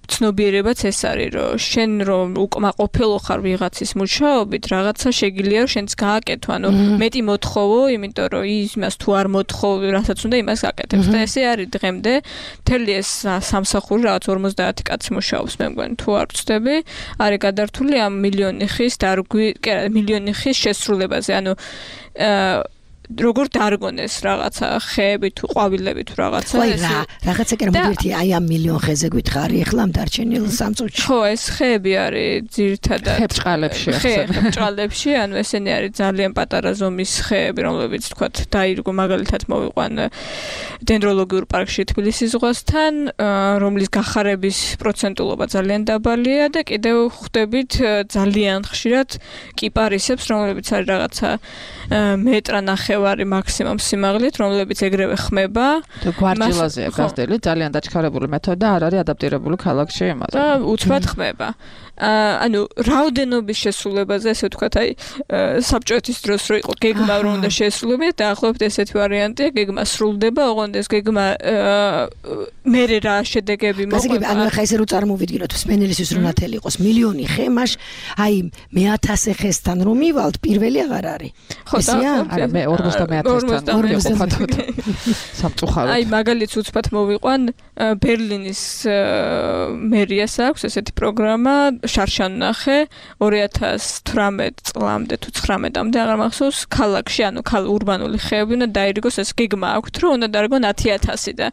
ცნობიერებაც ეს არის, რომ შენ რომ უკმაყოფილო ხარ ვიღაცის მუშაობით, რაღაცა შეგიძლია რომ შენც გააკეთო, ანუ მეტი მოთხოვო, იმიტომ რომ იმას თუ არ მოთხოვ, რასაც უნდა იმას გაკეთებს. და ესე არის დღემდე, მთელი ეს სამსახური რაღაც 50 კაცი მუშაობს, მე მგონი, თუ არ ვწდები, არის გადართული ამ მილიონი ხის შესრულებაზე, ანუ როგორ დარგონეს რაღაცა ხეები თუ ყვავილები თუ რაღაცა ესე რაღაცა კი მოდიერთი აი ამ მილიონ ხეზე გითხარი ახლა ამ დარჩენილ 3 წუთში ხო ეს ხეები არის ძირითადად ხებრჭყალებში ხებრჭყალებში ანუ ესენი არის ძალიან პატარა ზომის ხეები რომლებიც თქვათ დაირგო მაგალითად მოვიყვან დენდროლოგიურ პარკში თბილისის ზღვასთან რომლის გახარების პროცენტულობა ძალიან დაბალია და კიდევ ხვდებით ძალიან ხშირად კიპარისებს რომლებიც არის რაღაცა მეტრ-ნახევარი მაქსიმუმ სიმაღლით, რომლებიც ეგრევე ხმება. და გვარჯილაზეა გაზრდილი, ძალიან დაჩქარებული მეთოდი და არ არის ადაპტირებული ქალაქში იმაზე. და უცბად ხმება. ანუ რაოდენობის შესრულებაზე, ესე ვთქვათ, აი საბჭოეთის დროს რო იყო გეგმა რომ უნდა შეესრულებინათ, დაახლოებით ესეთი ვარიანტია, გეგმა სრულდება, ოღონდ ეს გეგმა მერე რა შედეგები მოყვება. ანუ ახლა ესე რო წარმოვიდგინოთ, სპენელისთვის რო ნათელი იყოს მილიონი ხე, მაშ აი მე 1000 ხესთან რომ მივალთ, პირველი აღარ არის. ესეა? არა, მე 50-თან სამწუხაროდ. აი მაგალითს უცბად მოვიყვან ბერლინის მერიას აქვს ესეთი პროგრამა შარშანნახე 2018 წლამდე თუ 19-მდე აღარ მახსოვს ქალაქში ანუ ურბანული ხეები უნდა დაირიგოს ეს გეგმა აქვს რომ უნდა დაირიგონ 10,000 და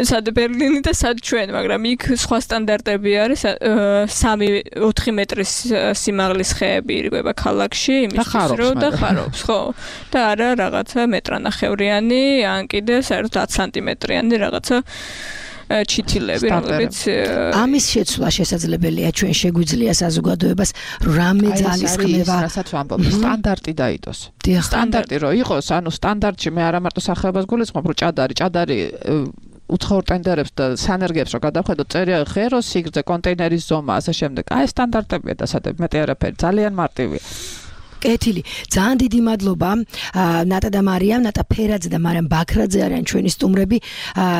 სად ბერლინი და სად ჩვენ მაგრამ იქ სხვა სტანდარტები არის 3-4 მეტრის სიმაღლის ხეები ირიგება ქალაქში იმისთვის რომ და ხარობს ხო და არა რაღაცა მეტრ-ნახევრიანი ან კიდე საერთოდ 10 სანტიმეტრიანი რაღაცა ჩითილები, რომლებიც ამის შეცვლა შესაძლებელია ჩვენ შეგვიძლია საზოგადოებას რამე ძალისხმევა, რასაც ვამბობ, სტანდარტი დაიდოს. სტანდარტი რო იყოს, ანუ სტანდარტში მე არა მარტო სახეობას გულისხმობ, რომ ჭადარი უცხოურ ტენდერებს და სანერგებს რო გადავხედოთ, წერია ღერო სიგრძე, კონტეინერის ზომა, ასე შემდეგ. აი სტანდარტებია დასადები, მეტი არაფერი, ძალიან მარტივია. კეთილი. ძალიან დიდი მადლობა ნატა და მარიამ, ნატა ფერაძე და მარიამ ბაქრაძე არიან ჩვენი სტუმრები,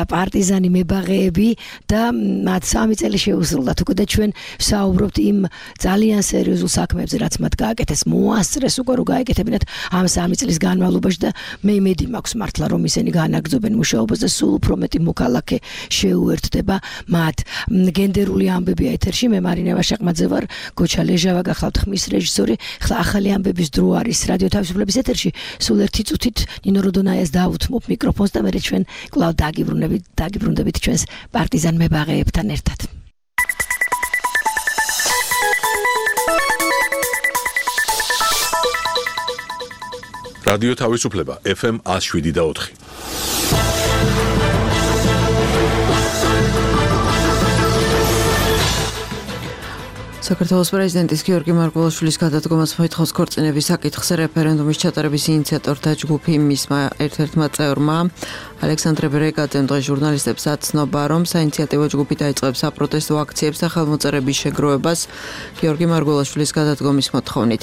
პარტიზანი მებაღეები და მათ 3 წელი შეუსრულდათ უკვე და ჩვენ საუბრობთ იმ ძალიან სერიოზულ საქმეებზე, რაც მათ გააკეთეს, მოასწრეს უკვე რომ გაეკეთებინათ ამ 3 წლის განმავლობაში და მე იმედი მაქვს მართლა რომ ისინი განაგრძობენ მუშაობას და სულ უფრო მეტი მოქალაქე შეუერთდება მათ. გენდერული ამბები ეთერში, მე მარინა ვაშაყმაძე ვარ, გოჩა ლეჟავა გახლავთ ხმის რეჟისორი. ხლა ახალი ამბების დრო არის რადიო თავისუფლების ეთერში. სულ 1 წუთით ნინო როდონაიას დავუთმობ მიკროფონს და მე ჩვენ კვლავ დაგიბრუნდებით ჩვენს პარტიზან მებაღეებთან ერთად. რადიო თავისუფლება FM 107.4. საქართველოს პრეზიდენტის გიორგი მარგველაშვილის გადადგომას მოითხოვს ქორწინების საკითხზე რეფერენდუმის ჩატარების ინიციატორთა ჯგუფი. მისმა ერთ-ერთმა წევრმა ალექსანდრე ბრეგაძემ დღეს ჟურნალისტებს აცნობა, რომ საინიციატივო ჯგუფი დაიწყებს საპროტესტო აქციებს და ხელმოწერების შეგროვებას გიორგი მარგველაშვილის გადადგომის მოთხოვნით.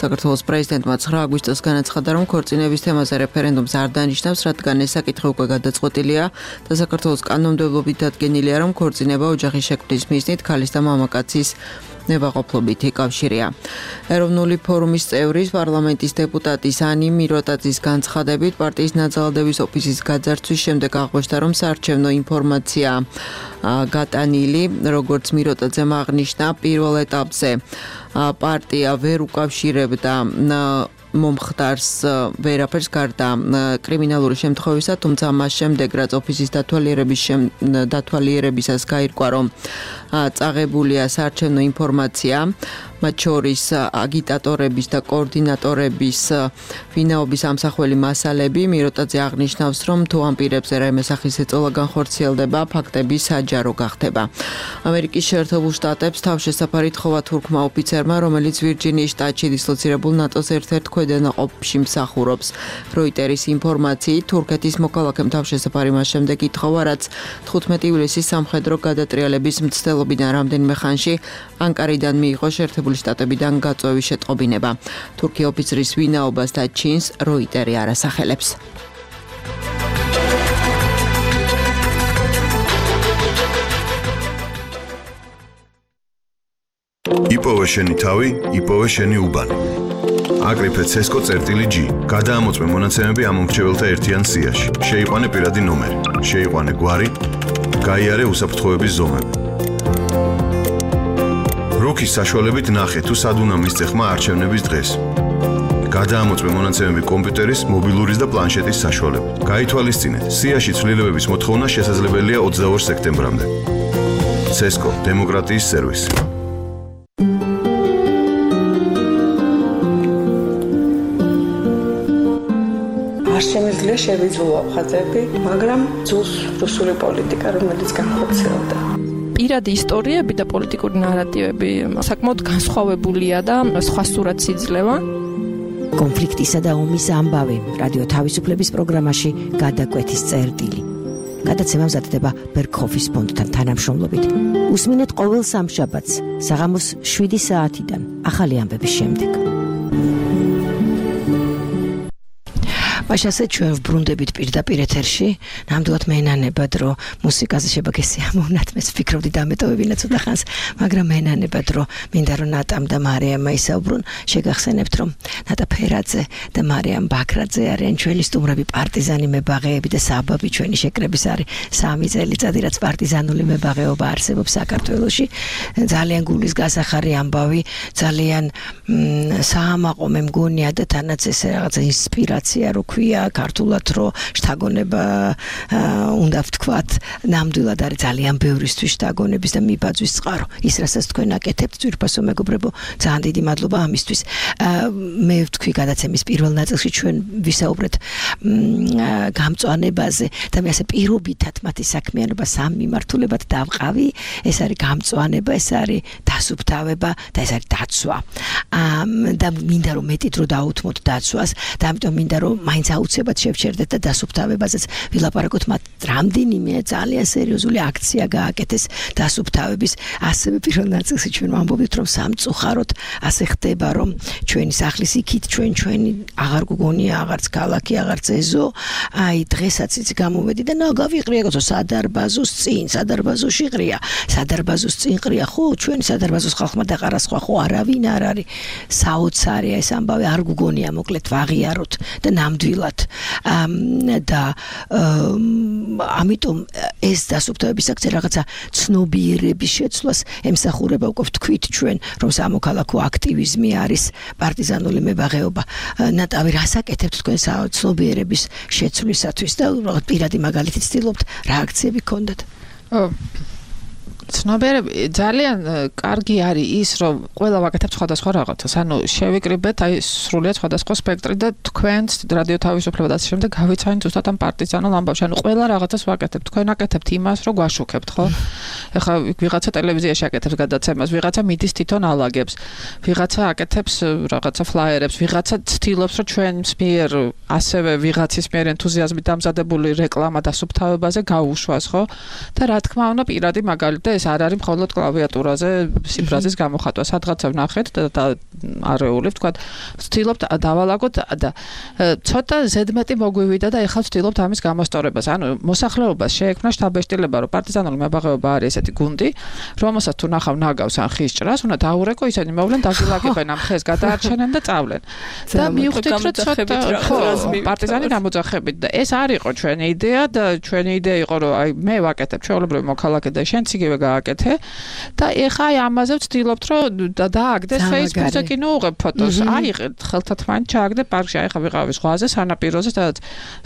საქართველოს პრეზიდენტმა 9 აგვისტოს განაცხადა, რომ ქორწინების თემაზე რეფერენდუმს არ დანიშნავს, რადგან ეს საკითხი უკვე გადაწყვეტილია და საქართველოს კანონმდებლობით დადგენილია, რომ ქორწინება ოჯახის შექმნის მიზნით ქალის და მამაკაცის ნებაყოფლობით იკავშირია. ეროვნული ფორუმის წევრის პარლამენტის დეპუტატის ანი მიროტაძის განცხადებით პარტიის ნაძალადების ოფისის გაძარცვის შემდეგ აღკვეშთა, რომ საარჩევნო ინფორმაცია გატანილი, როგორც მიროტაძემ აღნიშნა, პირველ ეტაპზე პარტია ვერ უკავშირებდა მომხდარს ვერაფერს გარდა კრიმინალური შემთხვევისა, თუმცა მას შემდეგ, რაც ოფისის დათვალიერებისას გაირკვა, რომ წაღებულია საარჩევნო ინფორმაცია, მათ შორის აგიტატორების და კოორდინატორების ვინაობის ამსახველი მასალები, მიროტაძე აღნიშნავს, რომ თუ ამ პირებზე რაიმე სახის ეწოლა განხორციელდება, ფაქტები საჯარო გახდება. ამერიკის შეერთებულ შტატებს თავშესაფარი თხოვა თურქმა ოფიცერმა, რომელიც ვირჯინიის შტატში დისლოცირებულ ნატოს ერთ-ერთ ქვედანაყოფში მსახურობს. როიტერის ინფორმაციით, თურქეთის მოქალაქემ თავშესაფარი მას შემდეგ ითხოვა, რაც 15 ივლისის სამხედრო გადატრიალების მცდელობიდან რამდენიმე ხანში ანკარიდან მიიღო შეერთებული შტატებიდან გაწვევის შეტყობინება. თურქი ოფიცრის ვინაობას და ჩინს როიტერი არ ასახელებს. იპოვე შენი თავი, იპოვე შენი უბანი. აკრიფე CESCO წერტილი G. გადაამოწმე მონაცემები ამ მომრჩეველთა ერთიან სიაში. შეიყვანე პირადი ნომერი, შეიყვანე გვარი, გაიარე უსაფრთხოების ზომები. როქის საშუალებით ნახე თუ სად უნდა მისცე ხმა არჩევნების დღეს. გადაამოწმე მონაცემები კომპიუტერის, მობილურის და პლანშეტის საშუალებით. გაითვალისწინეთ, სიაში ცვლილებების მოთხოვნა შესაძლებელია 22 სექტემბრამდე. CESCO დემოკრატიის სერვისი. არ შემიძლია შევიძულო ხაზები, მაგრამ ძულს რუსული პოლიტიკა, რომელიც განხორციელდა. პირადი ისტორიები და პოლიტიკური ნარატივები საკმაოდ განსხვავებულია და სხვა სურათს იძლევა. კონფლიქტისა და ომის ამბავი რადიო თავისუფლების პროგრამაში გადაკვეთის წერტილი. გადაცემა მზადდება ბერქოფის ფონდთან თანამშრომლობით. უსმინეთ ყოველ სამშაბათს საღამოს 7 საათიდან ახალი ამბების შემდეგ. მაშასე ჩვენ ვბრუნდებით პირდაპირ ეთერში. ნამდვილად მენანებად, რომ მუსიკაზე შეგესია მომნათ, მე ვფიქრობდი დამეტოვებინა ცოტა ხანს, მაგრამ მენანებად, რომ მინდა რომ ნატამ და მარიამ ისაუბრონ, შეგახსენებთ, რომ ნატა ფერაძე და მარიამ ბაქრაძე არიან ჩვენი სტუმრები, პარტიზანი მებაღეები და საბაბი ჩვენი შეკრების არის 3 წელიწადი, რაც პარტიზანული მებაღეობა არსებობს საქართველოში. ძალიან გულის გასახარი ამბავი, ძალიან საამაყო მე მგონია და თანაც ესე რაღაცა ინსპირაცია რო ქვია ქართულად რომ შთაგონება უნდა ვთქვათ ნამდვილად არის ძალიან ბევრისთვის შთაგონების და მიბაძვის წყარო ის რასაც თქვენ აკეთებთ ძვირფასო მეგობრებო ძალიან დიდი მადლობა ამისთვის მე ვთქვი გადაცემის პირველ ნაწილში ჩვენ ვისაუბრეთ გამწვანებაზე და მე ასე პირობითად მათი საქმიანობა სამ მიმართულებად დავყავი ეს არის გამწვანება ეს არის დასუფთავება და ეს არის დაცვა და მინდა რომ მეტი დრო დაუთმოთ დაცვას და ამიტომ მინდა რომ მაინც მაინც აუცილებლად შევჩერდეთ და დასუფთავებაზეც ვილაპარაკოთ, მათ რამდენიმე ძალიან სერიოზული აქცია გააკეთეს დასუფთავების. ასევე პირველ ნაწილში ჩვენ ვამბობთ, რომ სამწუხაროდ ასე ხდება, რომ ჩვენი სახლის იქით ჩვენი აღარ გგონია, აღარც ქალაქი, აღარც ეზო. აი დღესაც იცი გამოვედი და გავიყრია გოцо სადარბაზოს წინ, სადარბაზოში ყრია. სადარბაზოს წინ ყრია, ხო, ჩვენი სადარბაზოს ხალხმა დაყარა სხვა, ხო, არავინ არ არის. საოცარია ეს ამბავი, არ გგონია მოკლედ ვაღიაროთ და ნამდვილად. და ამიტომ ეს დასუფთავების აქცია რაღაცა ცნობიერების შეცვლას ემსახურება, უკვე ვთქვით ჩვენ, რომ სამოქალაქო აქტივიზმი არის პარტიზანული მებაღეობა. ნატავი რასაკეთებთ თქვენ ცნობიერების შეცვლისათვის და პირადი მაგალითით ცდილობთ რა აქციები გქონდათ? ცნობიერები ძალიან კარგი არის ის, რომ ყველა ვაკეთებთ სხვადასხვა რაღაცას. ანუ შევიკრიბეთ აი სრულიად სხვადასხვა სპექტრი და თქვენც რადიო თავისუფლება და ასე შემდეგ გავიცანით ზუსტად ამ პარტიზანულ ამბავში. ანუ ყველა რაღაცას ვაკეთებთ. თქვენ აკეთებთ იმას, რომ გვაშუქებთ, ხო? ეხლა ვიღაცა ტელევიზიაში აკეთებს გადაცემას, ვიღაცა მიდის თვითონ ალაგებს, ვიღაცა აკეთებს რაღაცა ფლაიერებს, ვიღაცა ცდილობს, რომ ჩვენს მიერ ასევე ვიღაცის მიერ ენთუზიაზმით დამზადებული რეკლამა დასუფთავებაზე გაუშვას, ხო? და რა თქმა უნდა, პირადი მაგალითი ეს არ არის მხოლოდ კლავიატურაზე სიფრაზის გამოხატვა. სადღაცა ვნახეთ და არეული ვთქვათ, ვცდილობთ დავალაგოთ და ცოტა ზედმეტი მოგვივიდა და ეხლა ვცდილობთ ამის გამოსწორებას. ანუ მოსახლეობას შეექმნა შთაბეჭდილება, რომ პარტიზანული მებაღეობა არის ესეთი გუნდი, რომელსაც თუ ნახავ ნაგავს ან ხის ჭრას, უნდა დაურეკო, ისინი მოვლენ, დაგილაგებენ ამ ხეს, გადაარჩენენ და წავლენ. და მივხვდით, რომ ცოტა პარტიზანი გამოძახებით და ეს არ იყო ჩვენი იდეა და ჩვენი იდეა იყო, რომ აი მე ვაკეთებ ჩვეულებრივი მოქალაქე და შენც იგივე გააკეთე და ეხა აი ამაზე ვცდილობთ, რომ დააგდეს Facebook-ზე კი ნუღებ ფოტოს. აიღეთ ხელთათ მან ჩააგდე პარკში, აი ხა ვიყავი ზღვაზე, სანაპიროზე, სადაც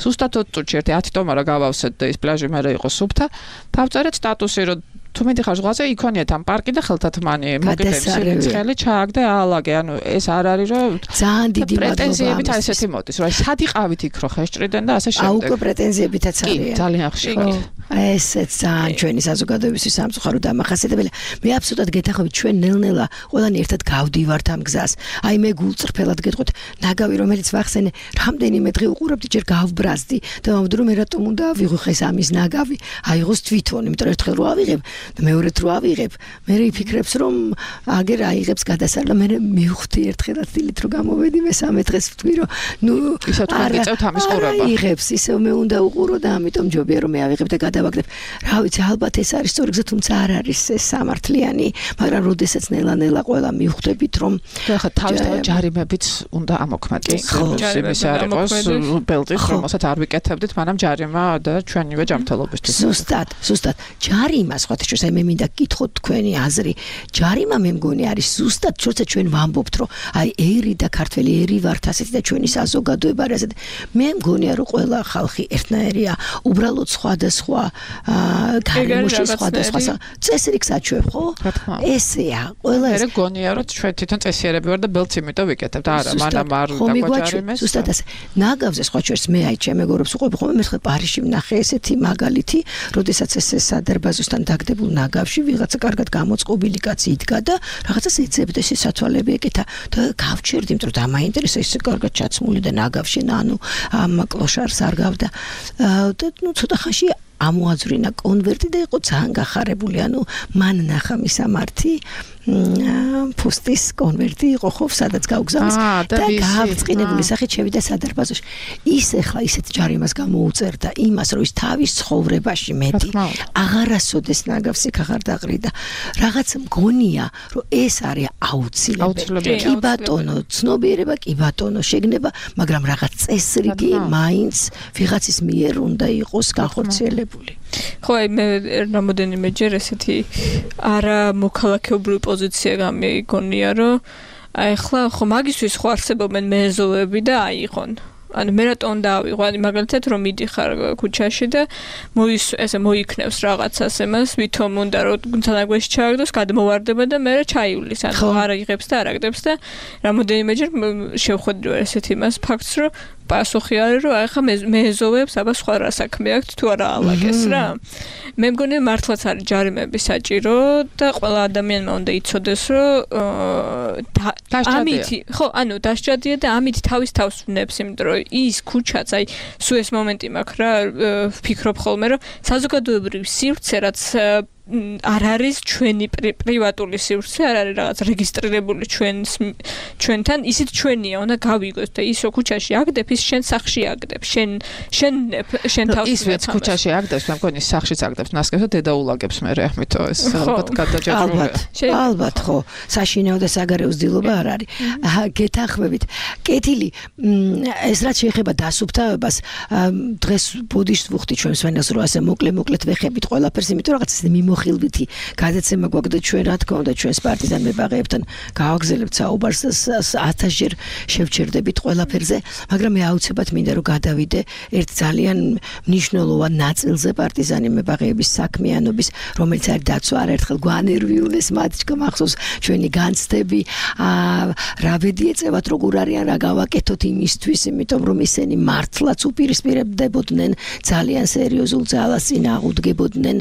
ზუსტად 20 წუთში 1 ტომარა გავავსეთ და ის პლაჟი მერე იყო სუფთა. დავწერეთ სტატუსი, რომ თუ მიდიხარ ზღვაზე, იქონიეთ ამ პარკი და ხელთათმანი მოკიდების ხელი ჩააგდე აალაგე. ანუ ეს არ არის, რომ ძალიან დიდი პრეტენზიებით აი ესეთი მოდის, რომ აი სად იყავით იქ, რომ ხესჭრიდან და ასე შემდეგ. უკვე პრეტენზიებითაც არის. კი, ძალიან ხშირი. ესეც ძალიან ჩვენი საზოგადოებისთვის სამწუხაროდ დამახასიათებელია. მე აბსოლუტურად გეთანხმებით, ჩვენ ნელ-ნელა ყველანი ერთად გავდივართ ამ გზას. აი მე გულწრფელად გეტყვით, ნაგავი რომელიც ვახსენე, რამდენიმე დღე უყურებდი, ჯერ გავბრაზდი და ვამბობდი, რომ რატომ უნდა ავიღოს ამის ნაგავი, აიღოს თვითონ, იმიტომ რომ ერთხელ რო ავიღებ და მეორედ რო ავიღებ, მე ვიფიქრებს, რომ აგერ აიღებს გადასარლა, მე მივხვდი ერთხელაც დილით რო გამოვედი, მესამე დღეს ვთქვი, რომ ნუ ისე თქვენ გიწევთ ამის ყურება. აიღებს, ისევ მე უნდა უყურო და ამიტომ ჯობია რომ მე ავიღებ და გადავაგდებ. რა ვიცი, ალბათ ეს არის სწორი გზა, თუმცა არ არის ეს სამართლიანი, მაგრამ როდესაც ნელა-ნელა ყველა მივხვდებით, რომ ხა თავისთავად ჯარიმებიც უნდა ამოქმედდეს. იმის არ იყოს ბელტის, რომელსაც არ ვიკეთებდით, მაგრამ ჯარიმა და ჩვენივე ჯანმრთელობისთვის. ზუსტად. ჯარიმა სხვათა შორის, აი მე მინდა გითხოთ თქვენი აზრი. ჯარიმა მე მგონი არის ზუსტად, როცა ჩვენ ვამბობთ, რომ აი ერი და ქართველი ერი ვართ ასეთი და ჩვენი საზოგადოება არის ასეთი. მე მგონია, რომ ყველა ხალხი ერთნაირია, უბრალოდ სხვადასხვა გარემოში სხვადასხვა წესრიგს აჩვევ, ხო? ესეა, ყველა ეს. მე გონია, რომ ჩვენ თვითონ წესიერები ვარ და ბელტს იმიტომ ვიკეთებ და არა, მანამ არ დაგვაჯარიმეს. ზუსტად ასე. ნაგავზე სხვა შორის მე აი ჩემ მეგობრებს უყვებ ხოლმე, მე ხე პარიზში ვნახე ესეთი მაგალითი, როდესაც ეს სადარბაზოსთან დაგდებულ ნაგავში ვიღაცა კარგად გამოწყობილი კაცი იდგა და რაღაცას ეძებდა, ეს სათვალები ეკეთა და გავჩერდი, იმიტომ რომ დამაინტერესა ის კარგად ჩაცმული და ნაგავში, ანუ ამ კლოშარს არ გავდა. და ნუ ცოტა ხანში ამოაძვრინა კონვერტი და იყო ძალიან გახარებული, ანუ მან ნახა მისამართი ფუსტის კონვერტი იყო ხო, სადაც გაუგზავნის და გავწყინებული სახით შევიდა სადარბაზოში. ის ახლა ისეთ ჯარიმას გამოუწერდა იმას, რომ ის თავის ცხოვრებაში მეტი აღარასოდეს ნაგავს იქ აღარ დაყრიდა. რაღაც მგონია, რომ ეს არის აუცილებელი. კი ბატონო, ცნობიერება, კი ბატონო, შეგნება, მაგრამ რაღაც წესრიგი მაინც ვიღაცის მიერ უნდა იყოს განხორციელებული. ხო, აი მე რამოდენიმეჯერ ესეთი არა მოქალაქეობრივი პოზიცია გამიგონია, რომ აი ხლა ხო მაგისთვის ხო არსებობენ მეზოები და აიღონ. ანუ მე რატომ დავიღო, ანუ მაგალითად რომ მიდიხარ ქუჩაში და ესე მოიქნევს რაღაცას εμას, ვითომ უნდა რომ თანაგვეში ჩააგდოს, გადმოვარდება და მე ჩაივლის, ანუ არ იღებს და არ აგდებს და რამოდენიმეჯერ შევხვედრი ესეთი იმას ფაქტს, რომ პასუხი არის, რომ ახლა მეეზოვებს აბა სხვა რა საქმე აქვს თუ არა ალაგეს რა. მე მგონი მართლაც არის ჯარიმები საჭირო და ყველა ადამიანმა უნდა იცოდეს, რომ ამითი, ხო, ანუ დასჯადია და ამით თავის თავს ვნებს, იმიტომ რომ ის ქუჩაც, აი, სულ ეს მომენტი მაქვს რა, ვფიქრობ ხოლმე, რომ საზოგადოებრივი სივრცე, რაც არ არის ჩვენი პრივატული სივრცე, არ არის რაღაც რეგისტრირებული ჩვენთან, ისიც ჩვენია, უნდა გავიგოს და ისო ქუჩაში აგდებ, ის შენ სახლში აგდებ, შენ თავს ის ვეც ქუჩაში აგდებს, მე მგონი სახლშიც აგდებს ნასკევს და დედაულაგებს მე რა ამითო ეს ალბათ გადაჯერებულია. ალბათ ხო, საშინაო და საგარეო ცდილობა არ არის. გეთანხმებით. კეთილი, ეს რაც შეეხება დასუფთავებას, დღეს ბოდიშს ვუხდი ჩვენ სვენელს, რომ ასე მოკლედ ვეხებით ყველაფერს, იმიტომ რაღაც მიმოხილვითი გადაცემა გვაქვს და ჩვენ რა თქმა უნდა ჩვენს პარტიზან მებაღეებთან გავაგზავნებთ საუბარს 1000-ჯერ შევჩერდებით ყველაფერზე, მაგრამ მე აუცილებლად მინდა რომ გადავიდე ერთ ძალიან მნიშვნელოვან ნაწილზე პარტიზანი მებაღეების საქმიანობის, რომელიც არის დაცვა. არაერთხელ გვანერვიულეს მათ მახსოვს ჩვენი განცდები, რა ბედი ეწევათ, როგორ არიან, რა გავაკეთოთ იმისთვის, იმიტომ რომ ისინი მართლაც უპირისპირებდებოდნენ ძალიან სერიოზულ ძალას წინ აღუდგებოდნენ,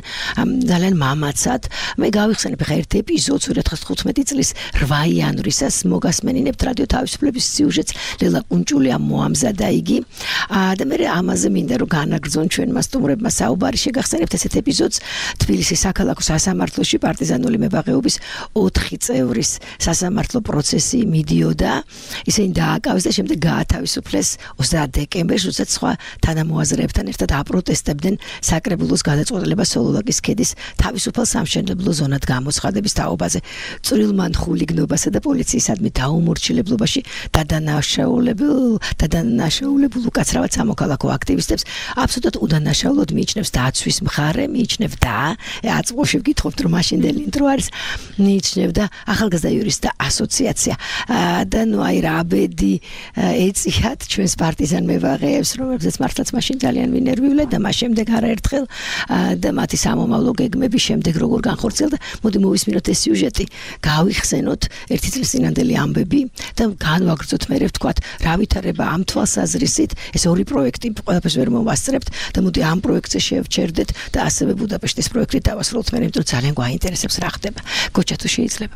ძალიან მამაცად. მე გავიხსენებ ხა ერთ ეპიზოდს 2015 წლის 8 იანვრისას მოგასმენინებთ რადიო თავისუფლების სიუჟეტს, ლელა კუნჭულიამ მოამზადა იგი. და მე ამაზე მინდა რომ განაგრძონ ჩვენმა სტუმრებმა საუბარი, შეგახსენებთ ესეთ ეპიზოდს თბილისის საქალაქო სასამართლოში პარტიზანული მებაღეობის 4 წევრის სასამართლო პროცესი მიდიოდა. ისინი დააკავეს და შემდეგ გაათავისუფლეს 30 დეკემბერს, როდესაც სხვა თანამოაზრეებთან ერთად აპროტესტებდნენ საკრებულოს გადაწყვეტილებას სოლოლაკის ქედის თავისუფალ სამშენებლო ზონად გამოცხადების თაობაზე. წვრილმან ხულიგნობასა და პოლიციისადმი დაუმორჩილებლობაში დადანაშაულებულ უკაცრავად სამოქალაქო აქტივისტებს აბსოლუტურად უდანაშაულოდ მიიჩნევს დაცვის მხარე, მიიჩნევდა, აწმოში ვკითხობთ რომ მაშინდელი ინტრო არის, მიიჩნევდა ახალგაზრდა იურისტთა ასოციაცია. და ნუ აი რა ბედი ეწიათ ჩვენს პარტიზან მებაღეებს, რომელზეც მართლაც მაშინ ძალიან ვინერვიულე და მას შემდეგ არაერთხელ და მათი სამომავლო გეგმების შემდეგ როგორ განხორციელდა. მოდი მოვისმინოთ ეს სიუჟეტი, გავიხსენოთ ერთი წლის წინანდელი ამბები და განვაგრძოთ მე ვთქვათ, რა ვითარება ამ თვალსაზრისით, ეს ორი პროექტი ყველაფერს ვერ მოვასწრებთ და მოდი ამ პროექტზე შევჩერდეთ და ასევე ბუდაპეშტის პროექტი დავასრულოთ მე, იმიტომ რომ ძალიან გვაინტერესებს რა ხდება. გოჩა თუ შეიძლება.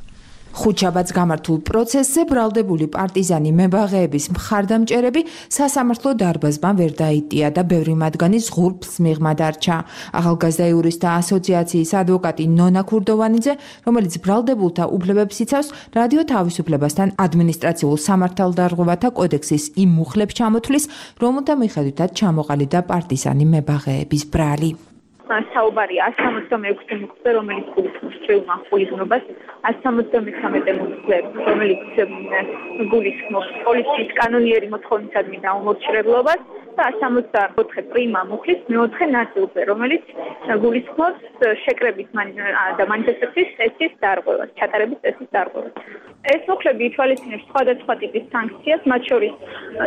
ხუთშაბათს გამართულ პროცესზე ბრალდებული პარტიზანი მებაღეების მხარდამჭერები სასამართლო დარბაზთან ვერ დაიტია და ბევრი მათგანი ზღურბს მიღმა დარჩა. ახალგაზრდა იურისტთა ასოციაციის ადვოკატი ნონა ქურდოვანიძე, რომელიც ბრალდებულთა უფლებებს იცავს, რადიო თავისუფლებასთან ადმინისტრაციულ სამართალდარღვევათა კოდექსის იმ მუხლებს ჩამოთვლის, რომელთა მიხედვითაც ჩამოყალიბდა პარტიზანი მებაღეების ბრალი. საუბარია 176 მუხლზე, რომელიც გულისხმობს წვრილმან ხულიგნობას, 173 მუხლზე, რომელიც გულისხმობს პოლიციის კანონიერი მოთხოვნისადმი დაუმორჩილებლობას და 164 პრიმა მუხლის მეოთხე ნაწილზე, რომელიც გულისხმობს შეკრების და მანიფესტაციის წესის დარღვევას, ჩატარების წესის დარღვევას. ეს მუხლები ითვალისწინებს სხვადასხვა ტიპის სანქციას, მათ შორის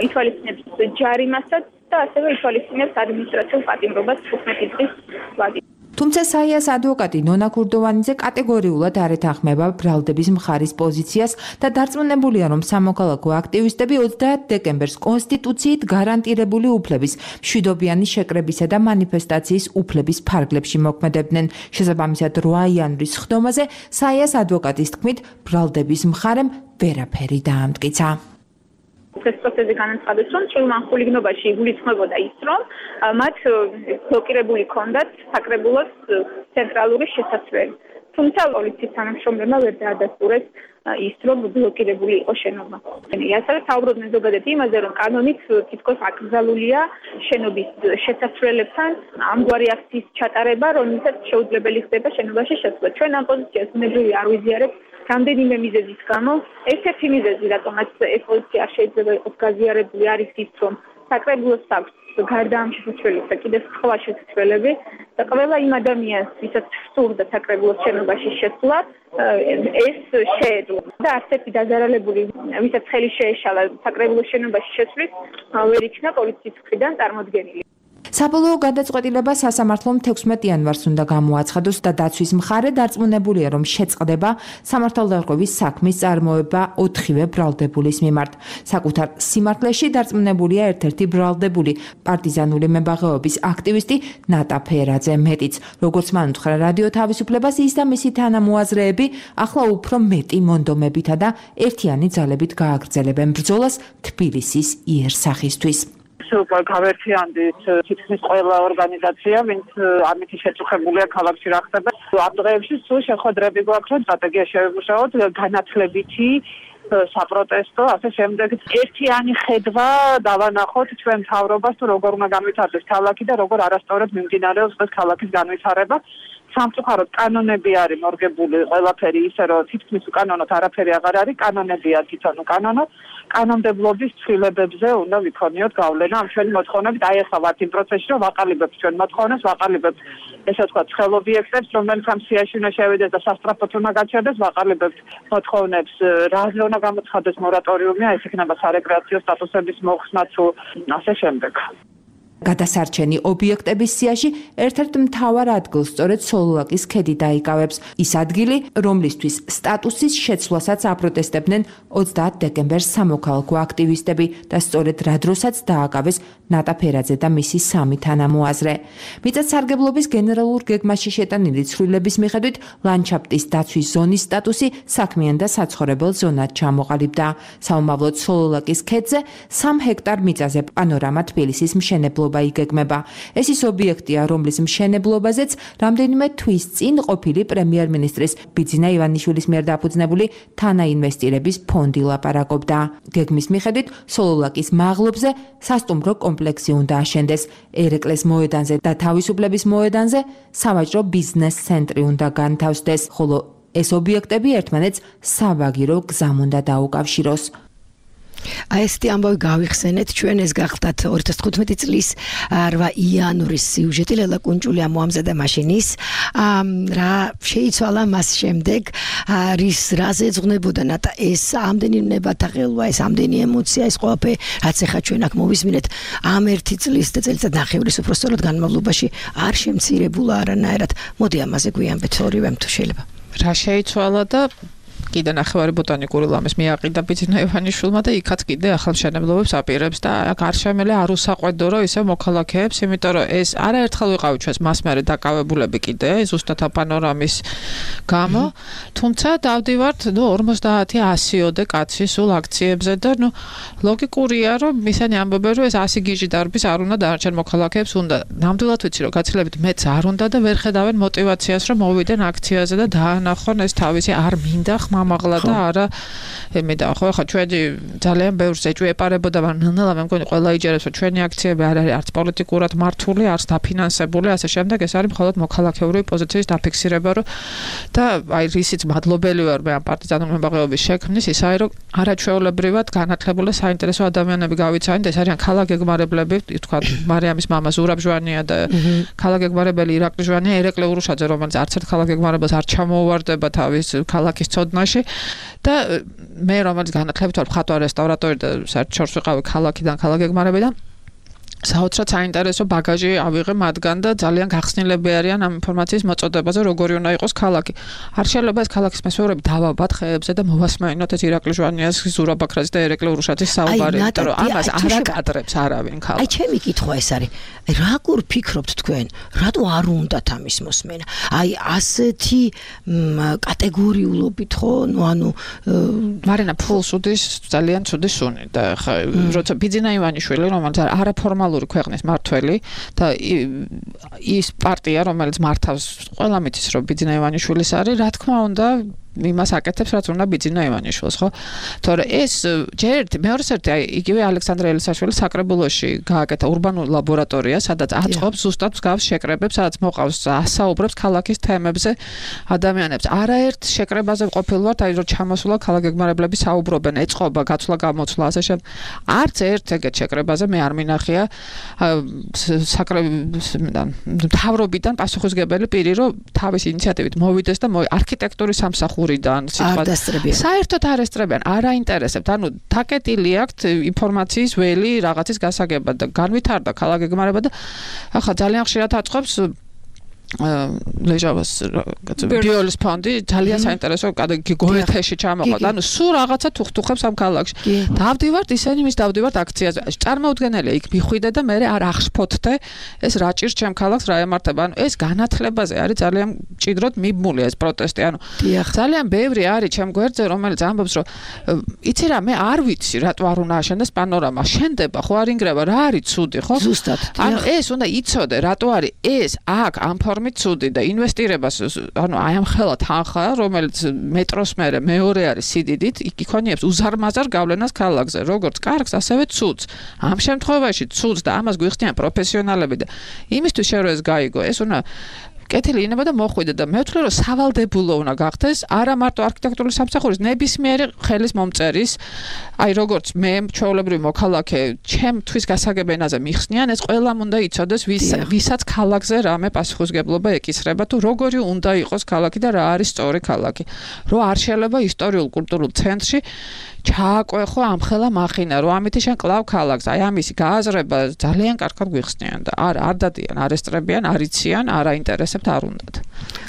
ითვალისწინებს ჯარიმასაც და ასევე ითვალისწინებს ადმინისტრაციულ პატიმრობას 15 წლის ვადით. თუმცა საიას ადვოკატი ნონა ქურდოვანიძე კატეგორიულად არ ეთანხმება ბრალდების მხარის პოზიციას და დარწმუნებულია, რომ სამოქალაქო აქტივისტები 30 დეკემბერს კონსტიტუციით გარანტირებული უფლების, მშვიდობიანი შეკრებისა და მანიფესტაციის უფლების ფარგლებში მოქმედებდნენ. შესაბამისად 8 იანვრის ხდომაზე საიას ადვოკატის თქმით, ბრალდების მხარემ ვერაფერი დაამტკიცა. ეს პროცესი განაცხადეს, რომ წვრილმან ხულიგნობაში იგულისხმებოდა ის, რომ მათ ბლოკირებული ჰქონდათ საკრებულოს ცენტრალური შესასვლელი. თუმცა პოლიციის თანამშრომლებმა ვერ დაადასტურეს ის, რომ ბლოკირებული იყო შენობა. ასევე საუბრობდნენ ზოგადად იმაზე, რომ კანონით თითქოს აკრძალულია შენობის შესასვლელებთან ამგვარი აქციის ჩატარება, რომელსაც შეუძლებელი ხდება შენობაში შესვლა. ჩვენ ამ პოზიციას ბუნებრივი არ ვიზიარებთ რამდენიმე მიზეზის გამო. ერთ-ერთი მიზეზი, რატომაც ეს პოზიცია არ შეიძლება იყოს გაზიარებული, არის ის, რომ საკრებულოს აქვს გარდა ამ შესასვლელისა კიდევ სხვა შესასვლელები და ყველა იმ ადამიანს, ვისაც სურდა საკრებულოს შენობაში შესვლა, ეს შეეძლო და ასეთი დაზარალებული, ვისაც ხელი შეეშალა საკრებულოს შენობაში შესვლის, ვერ იქნა პოლიციის მხრიდან წარმოდგენილი. საბოლოო გადაწყვეტილება სასამართლომ 16 იანვარს უნდა გამოაცხადოს და დაცვის მხარე დარწმუნებულია, რომ შეწყდება სამართალდაღწევის საქმის წარმოება 4-ვე ბრალდებულის მიმართ. საკუთარ სიმართლეში დარწმუნებულია ერთ-ერთი ბრალდებული პარტიზანული მებაღეობის აქტივისტი ნატა ფერაძე. მეტიც, როგორც მან უთხრა რადიო თავისუფლებას, ის და მისი თანამოაზრეები ახლა უფრო მეტი მონდომებითა და ერთიანი ძალებით გააგრძელებენ ბრძოლას თბილისის იერსახისთვის. გავერთიანდით თითქმის ყველა ორგანიზაცია, ვინც ამითი შეწუხებულია ქალაქში რა ხდება. ამ დღეებში სულ შეხვედრები გვაქვს, რომ სტრატეგია შევიმუშაოთ განათლებითი საპროტესტო, ასე შემდეგ. ერთიანი ხედვა დავანახოთ ჩვენ მთავრობას, თუ როგორ უნდა განვითარდეს ქალაქი და როგორ არასწორად მიმდინარეობს ეს ქალაქის განვითარება. სამწუხაროდ კანონები არის მორგებული ყველაფერი ისე, რომ თითქმის უკანონოდ არაფერი აღარ არის, კანონებია თვითონ უკანონო. კანონმდებლობის ცვლილებებზე უნდა ვიქონიოთ გავლენა ამ ჩვენი მოთხოვნებით. აი ახლა ვართ იმ პროცესში, რომ ვაყალიბებთ ჩვენ მოთხოვნებს, ვაყალიბებთ ესე ვთქვათ ცხელ ობიექტებს, რომელიც ამ სიაში უნდა შევიდეს და სასტრაფოდ უნდა გაჩერდეს, ვაყალიბებთ მოთხოვნებს, რაზე უნდა გამოცხადდეს მორატორიუმი, ეს იქნება სარეკრეაციო სტატუსების მოხსნა თუ ასე შემდეგ. გადასარჩენი ობიექტების სიაში ერთ-ერთ მთავარ ადგილს სწორედ სოლოლაკის ქედი დაიკავებს. ის ადგილი, რომლისთვის სტატუსის შეცვლასაც აპროტესტებდნენ 30 დეკემბერს სამოქალაქო აქტივისტები და სწორედ რა დროსაც დააკავეს ნატა ფერაძე და მისი 3 თანამოაზრე. მიწათსარგებლობის გენერალურ გეგმაში შეტანილი ცვლილების მიხედვით ლანდშაფტის დაცვის ზონის სტატუსი საქმიან და საცხოვრებელ ზონად ჩამოყალიბდა. საომავლოდ სოლოლაკის ქედზე 3 ჰექტარ მიწაზე პანორამა თბილისის მშენებლობა იგეგმება. ეს ის ობიექტია, რომლის მშენებლობაზეც რამდენიმე თვის წინ ყოფილი პრემიერ-მინისტრის ბიძინა ივანიშვილის მიერ დაფუძნებული თანაინვესტირების ფონდი ლაპარაკობდა. გეგმის მიხედვით სოლოლაკის მაღლობზე სასტუმრო კომპლექსი უნდა აშენდეს. ერეკლეს მოედანზე და თავისუფლების მოედანზე სავაჭრო ბიზნეს ცენტრი უნდა განთავსდეს, ხოლო ეს ობიექტები ერთმანეთს საბაგირო გზამ უნდა დაუკავშიროს. აი ესეთი ამბავი გავიხსენეთ, ჩვენ ეს გახდათ 2015 წლის 8 იანვრის სიუჟეტი ლელა კუნჭული მოამზადა მაშინის რა შეიცვალა მას შემდეგ რის რაზე ეძღვნებოდა ნატა ეს ამდენი ნებათაღელვა, ეს ამდენი ემოცია, ეს ყველაფერი რაც ახლა ჩვენ აქ მოვისმინეთ ამ 1 წლის და წელიწად ნახევრის უпростоროდ განმავლობაში არ შემცირებულა არანაირად. მოდი ამაზე გვიანბეთ ორივემ თუ შეიძლება. რა შეიცვალა და კიდე ნახევარი ბოტანიკური ლამის მიაყიდა ბიძინა ივანიშვილმა და იქაც კიდე ახალმშენებლობებს აპირებს და აქ არ შემელი არ უსაყვედო რომ ისე მოქალაქეებს, იმიტომ რომ ეს არაერთხელ ვიყავით ჩვენს მასმერე დაკავებულები კიდე ზუსტად პანორამის გამო, თუმცა დავდივართ 50-100-ოდე კაცი სულ აქციებზე და ლოგიკურია რომ ისინი ამბობენ რომ ეს 100 გიჟი დარბის არ უნდა დანარჩენ მოქალაქეებს უნდა. ნამდვილად ვიცი რომ გაცილებით მეც არ უნდა და ვერ ხედავენ мотиваციას რომ მოვიდენ აქციაზე და დაანახონ ეს თავისი არ მინდა მამაღლა და არა ემედა ხო ხა ჩვენი ძალიან ბევრს ეჭვეპარებოდა მაგრამ მე მგონი ყველა იჯერებს რომ ჩვენი აქციები არ არის არც პოლიტიკურად მართული არც დაფინანსებული ასე შემდეგ ეს არის მხოლოდ მოქალაქეური პოზიციის დაფიქსირება რომ და აი რისიც მადლობელი ვარ მე ამ პარტიზანული მებაღეობის შექმნის ის არის რომ არაჩვეულებრივად განათლებული საინტერესო ადამიანები გავიცანით ეს არიან ქალაქგეგმარებლები თქვა მარიამის მამა ზურაბ ჟვანია და ქალაქგეგმარებელი ირაკლი ჟვანია ერეკლე ურუშაძე რომელიც არც ერთ ქალაქგეგმარებელს არ ჩამოუვარდება თავის ქალაქის ცოდნაში და მე რომელიც განათლებით ვარ მხატვარი რესტავრატორი და საერთოდ შორს ვიყავი ქალაქიდან ქალაქგეგმარებიდან საოცრად საინტერესო ბაგაჟი ავიღე მათგან და ძალიან გახსნილები არიან ამ ინფორმაციის მოწოდებაზე როგორი უნდა იყოს ქალაქი. არ შეიძლება ეს ქალაქის მესვეურები დავაბათ ხეებზე და მოვასმენოთ ეს ირაკლი ჟვანიას ზურაბ ბაქრაძის და ერეკლე ურუშაძის საუბარი, იმიტომ რომ ამას არ აკადრებს არავინ ქალაქი. აი ჩემი კითხვა ეს არის. როგორ ფიქრობთ თქვენ, რატო არ უნდათ ამის მოსმენა? აი ასეთი კატეგორიულობით ხო, ანუ მარინა ფულს უდის ძალიან ცუდი სუნი და როცა ბიძინა ივანიშვილი რომელიც არაფორმალური ქვეყნის მართველი და ის პარტია რომელიც მართავს ყველა მითის რომ ბიძინა ივანიშვილის არის რა თქმა უნდა იმას აკეთებს რაც უნდა ბიძინა ივანიშვილს ხო თორე ეს ჯერ მეორეს ერთი აი იგივე ალექსანდრე ელისაშვილის საკრებულოში გააკეთა ურბანული ლაბორატორია სადაც აწყობს ზუსტად მსგავს შეკრებებს სადაც მოყავს ასაუბრებს ქალაქის თემებზე ადამიანებს არაერთ შეკრებაზე ყოფილვართ აი რომ ჩამოსულა ქალაქგეგმარებლები საუბრობენ ეწყობა გაცვლა გამოცვლა ასე შემდეგ არც ერთ ეგეთ შეკრებაზე მე არ მინახია მთავრობიდან პასუხისმგებელი პირი რომ თავის ინიციატივით მოვიდეს და არქიტექტურის სამსახური მურიდან სიტყვა საერთოდ არ ესწრებიან, არ აინტერესებთ. ანუ თაკეტილი აქვთ ინფორმაციის ველი რაღაცის გასაგებად და განვითარდა ქალაქ გეგმარება და ახლა ძალიან ხშირად აწყობს ლეჟავას ბიოლის ფონდი ძალიან საინტერესო გოეთეში ჩამოყავთ. ანუ სულ რაღაცა თუხთუხებს ამ ქალაქში. დავდივართ ისინი მის დავდივართ აქციაზე. წარმოუდგენელია იქ მიხვიდე და მე არ აღშფოთდე ეს რა ჭირს ჩემ ქალაქს რა ემართება. ანუ ეს განათლებაზე არის ძალიან მჭიდროდ მიბმული ეს პროტესტი. ანუ ძალიან ბევრი არის ჩემ გვერდზე რომელიც ამბობს რომ იცი რა მე არ ვიცი რატო არ უნდა აშენდეს პანორამა. შენდება ხო არ ინგრევა რა არის ცუდი ხო? ზუსტად. ანუ ეს უნდა იცოდე რატო არის ეს აქ ამ ცუდი და ინვესტირებას ანუ აი ამ ხელა თანხა რომელიც მეტროს მერე მეორე არის სიდიდით იქონიებს უზარმაზარ გავლენას ქალაქზე როგორც კარგს ასევე ცუდს ამ შემთხვევაში ცუდს და ამას გვიხსნიან პროფესიონალები და იმისთვის რომ ეს გაიგო ეს უნდა კეთილი ინება და მოხვიდე და მე ვთვლი რომ სავალდებულო უნდა გახდეს არა მარტო არქიტექტურული სამსახურის ნებისმიერი ხელის მომწერის აი როგორც მე ჩვეულებრივი მოქალაქე ჩემთვის გასაგებ ენაზე მიხსნიან ეს ყველამ უნდა იცოდეს ვისაც ქალაქზე რამე პასუხისგებლობა ეკისრება თუ როგორი უნდა იყოს ქალაქი და რა არის სწორი ქალაქი რომ არ შეიძლება ისტორიულ კულტურულ ცენტრში ჩააკვეხო ამ ხელა მახინა რომ ამითი შენ კლავ ქალაქს აი ამისი გააზრება ძალიან კარგად გვიხსნიან და არ დადიან არ ესტრებიან არ იციან არ აინტერესებთ არ უნდათ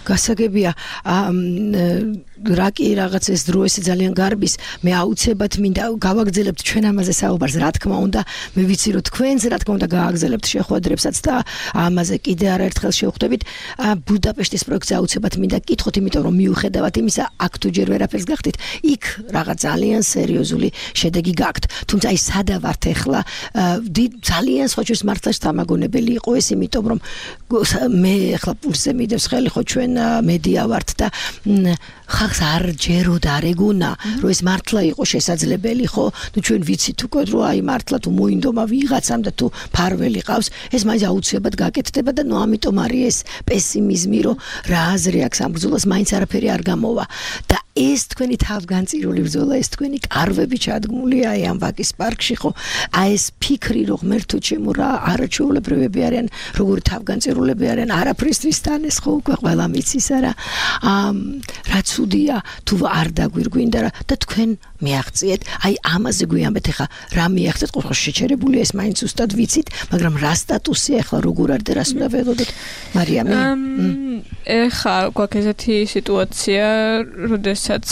გასაგებია რა კი რაღაც ეს დრო ესე ძალიან გარბის მე აუცილებლად მინდა გავაგზავნებთ ჩვენ ამაზე საუბარს რა თქმა უნდა მე ვიცი რომ თქვენს რა თქმა უნდა გააგზავნებთ შეხვედრებსაც და ამაზე კიდე არაერთხელ შევხვდებით ბუდაპეშტის პროექტზე აუცილებლად მინდა გკითხოთ იმიტომ რომ მიუხედავად იმისა აქ თუ ჯერ ვერაფერს გახდით იქ რაღაც ძალიან სერიოზული შედეგი გაქვთ თუმცა აი სადა ვართ ახლა ძალიან სხვა ჩვენს მართლაც თამაგონებელი იყო ეს იმიტომ რომ მე ახლა პულსზე მიდევს ხელი ხო ჩვენ მედია ვართ და ხალხს არ ჯეროდა არ ეგუნა რომ ეს მართლა იყო შესაძლებელი ხო თუ ჩვენ ვიცით უკვე რომ აი მართლა თუ მოინდომა ვიღაცამ და თუ ფარველი ყავს ეს მაინც აუცილებლად გაკეთდება და ნუ ამიტომ არის ეს პესიმიზმი რომ რა აზრი აქვს ამ ბრძოლას მაინც არაფერი არ გამოვა და ეს თქვენი თავგანწირული ბრძოლა ეს თქვენი კარვები ჩადგმულია აი ამ ვაკის პარკში ხო აი ეს ფიქრი რომ ღმერთო ჩემო რა არაჩვეულებრივები არიან როგორი თავგანწირულები არიან არაფრისთვის თან ეს ხო უკვე ყველა მიცის არა რა ცუდია თუ არ დაგვირგვინდა რა და თქვენ მიაღწიეთ აი ამაზე გვიამბეთ ახლა რა მიაღწეთ ყოველ შეჩერებული ეს მაინც უბრალოდ ვიცით მაგრამ რა სტატუსია ახლა როგორ არის და რას უნდა ველოდოთ მარიამი ახლა გვაქვს ესეთი სიტუაცია როდესაც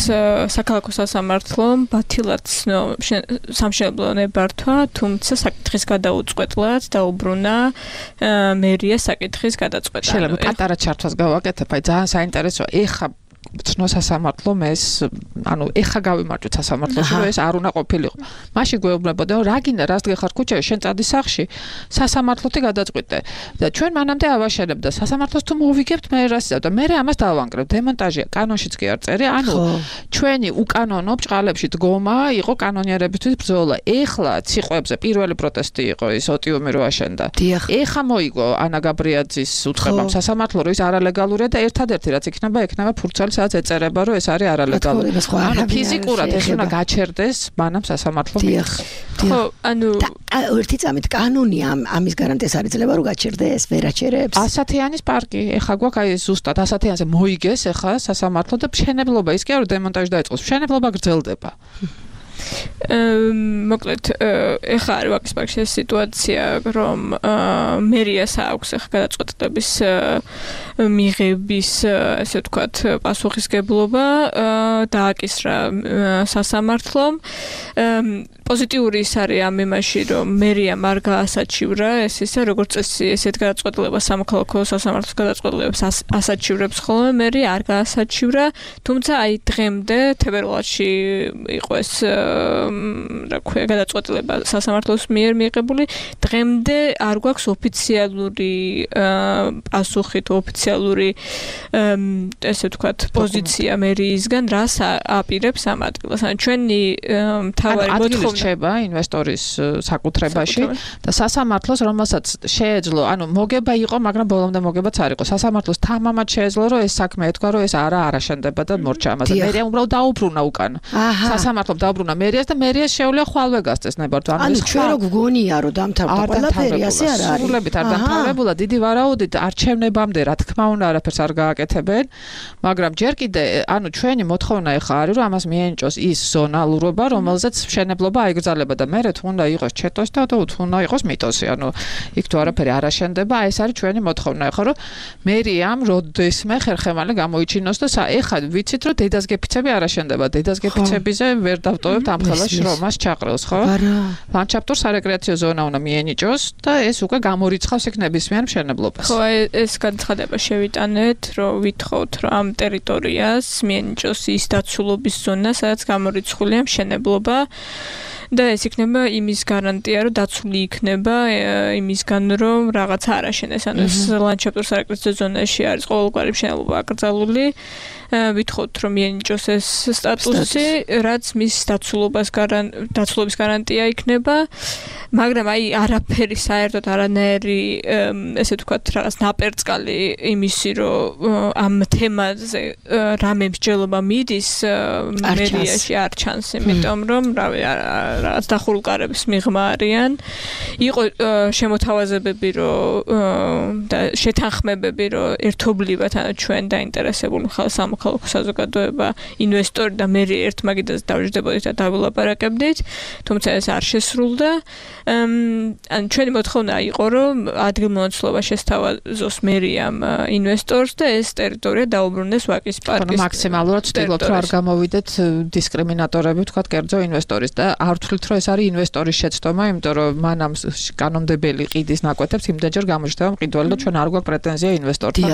საქალაქო სასამართლომ ბათილად სამშენებლო ნებართვა თუმცა საკითხის გადაუწყვეტლად დაუბრუნა მერიას საკითხის გადაწყვეტა შეიძლება პატარა ჩართვას გავაკეთებ აი ძალიან საინტერესოა ეხა ცნო სასამართლომ ეს ანუ ეხა გავიმარჯვეთ სასამართლოში რომ ეს არ უნდა ყოფილიყო მაშინ გვეუბნებოდა რომ რა გინდა რას დგეხარ ქუჩაში შენ წადი სახში სასამართლოთი გადაწყვიტე და ჩვენ მანამდე ავაშენებთ და სასამართლოს თუ მოვიგებთ მე რასიზავ და მე ამას დავანგრევ დემონტაჟია კანონშიც კი არ წერი ანუ ჩვენი უკანონო ბჭყალებში დგომა იყო კანონიერებისთვის ბრძოლა ეხლა ციყვებზე პირველი პროტესტი იყო ის ოტიუმი რო აშენდა ეხა მოიგო ანა გაბრიაძის უწყებამ სასამართლო რომ ის არალეგალურია და ერთადერთი რაც იქნება ფურცელი ეწერება რომ ეს არის არალეგალური. ანუ ფიზიკურად ეს უნდა გაჩერდეს მანამ სასამართლო მიერ. ხო, ანუ ერთი წამით კანონი ამის გარანტიას არ იძლევა რომ გაჩერდეს, ვერაჩერებს. ასათიანის პარკი, ეხა გვაქვს აი ზუსტად ასათიანზე მოიგეს ეხა სასამართლო და მშენებლობა ის კი არა დემონტაჟი დაიწყოს, მშენებლობა გრძელდება. მოკლედ ეხლა არის ვაკის პარკში ეს სიტუაცია რომ მერიას აქვს ეხლა გადაწყვეტილების მიღების ესე ვთქვათ პასუხისგებლობა დააკისრა სასამართლომ პოზიტიური ის არის ამ იმაში რომ მერიამ არ გაასაჩივრა ეს ისე როგორც წესი ესეთ გადაწყვეტილებას სამოქალაქო სასამართლოს გადაწყვეტილებას ასაჩივრებს ხოლმე მერი არ გაასაჩივრა თუმცა აი დღემდე თებერვალში იყო ეს რა ქვია გადაწყვეტილება სასამართლოს მიერ მიღებული დღემდე არ გვაქვს ოფიციალური პასუხი თუ ოფიციალური ესე ვთქვათ პოზიცია მერიისგან რას აპირებს ამ ადგილას ან ჩვენი მთავარი მოთხოვნა რჩება ინვესტორის საკუთრებაში და სასამართლოს რომელსაც შეეძლო ანუ მოგება იყო მაგრამ ბოლომდე მოგებაც არ იყო სასამართლოს თამამად შეეძლო რომ ეს საქმე ეთქვა რომ ეს არაშენდება და მორჩა ამაზე მე უბრალოდ დაუბრუნა უკან სასამართლომ დაუბრუნა მერიას და მერიას შეუძლია ხვალვე გასცეს ნებართვა. ანუ ჩვენ რო გგონია რომ დამთავრდა ყველაფერი ასე არ არის. სრულებით არ დამთავრებულა დიდი ვარაუდით არჩევნებამდე რა თქმა უნდა არაფერს არ გააკეთებენ, მაგრამ ჯერ კიდე ანუ ჩვენი მოთხოვნა ეხა არის რომ ამას მიენიჭოს ის ზონალურობა, რომელზეც მშენებლობა აიგრძელება და მე თუ უნდა იყოს ჩეტოსი და თუ უნდა იყოს მიტოსი, ანუ იქ თუ არაფერი არ აშენდება, ეს არის ჩვენი მოთხოვნა ეხა რომ მერიამ როდესმე ხერხემალი გამოიჩინოს და ეხა ვიცით რომ დედას გეფიცები არ აშენდება, დედას გეფიცებიზე ვერ დავტოვებთ ამ ხელას შრომას ჩაყრელს, ხო? ლანდშაფტურ სარეკრეაციო ზონა უნდა მიენიჭოს და ეს უკვე გამორიცხავს იქ ნებისმიერ მშენებლობას. ხო, ეს განცხადება შევიტანეთ, რომ ვითხოვთ, რომ ამ ტერიტორიას მიენიჭოს ის დაცულობის ზონა, სადაც გამორიცხულია მშენებლობა. და ეს იქნება იმის გარანტია, რომ დაცული იქნება იმისგან, რომ რაღაცა არ აშენეს. ანუ ეს ლანდშაფტურ სარეკრეაციო ზონაში არის ყოველგვარი მშენებლობა აკრძალული. ვითხოვთ, რომ მიენიჭოს ეს სტატუსი, რაც მის დაცულობის გარანტია იქნება. მაგრამ აი არაფერი საერთოდ არანაირი ესე ვთქვათ რაღაც ნაპერწკალი იმისი რომ ამ თემაზე რამე მსჯელობა მიდის მერიაში არ ჩანს, იმიტომ რომ რავი რაღაც დახურულკარების მიღმა არიან. იყო შემოთავაზებები რომ და შეთანხმებები რომ ერთობლივად ანუ ჩვენ დაინტერესებული სამოქალაქო საზოგადოება, ინვესტორი და მერი ერთმაგიდაზე დავждებოდით და დავილაპარაკებდით, თუმცა ეს არ შესრულდა. ან ჩვენი მოთხოვნა იყო რომ ადგილმონაცვლეობა შესთავაზოს მერიამ ინვესტორს და ეს ტერიტორია დაუბრუნდეს ვაკის პარკის. მაქსიმალურად ვცდილობთ რომ არ გამოვიდეთ დისკრიმინატორები თქვათ კერძო ინვესტორის და არ ვთვლით რომ ეს არის ინვესტორის შეცდომა, იმიტომ რომ მანამ კანონმდებელი ყიდის ნაკვეთებს იმდენჯერ გამოჩნდება მყიდველი და ჩვენ არ გვაქვს პრეტენზია ინვესტორთან.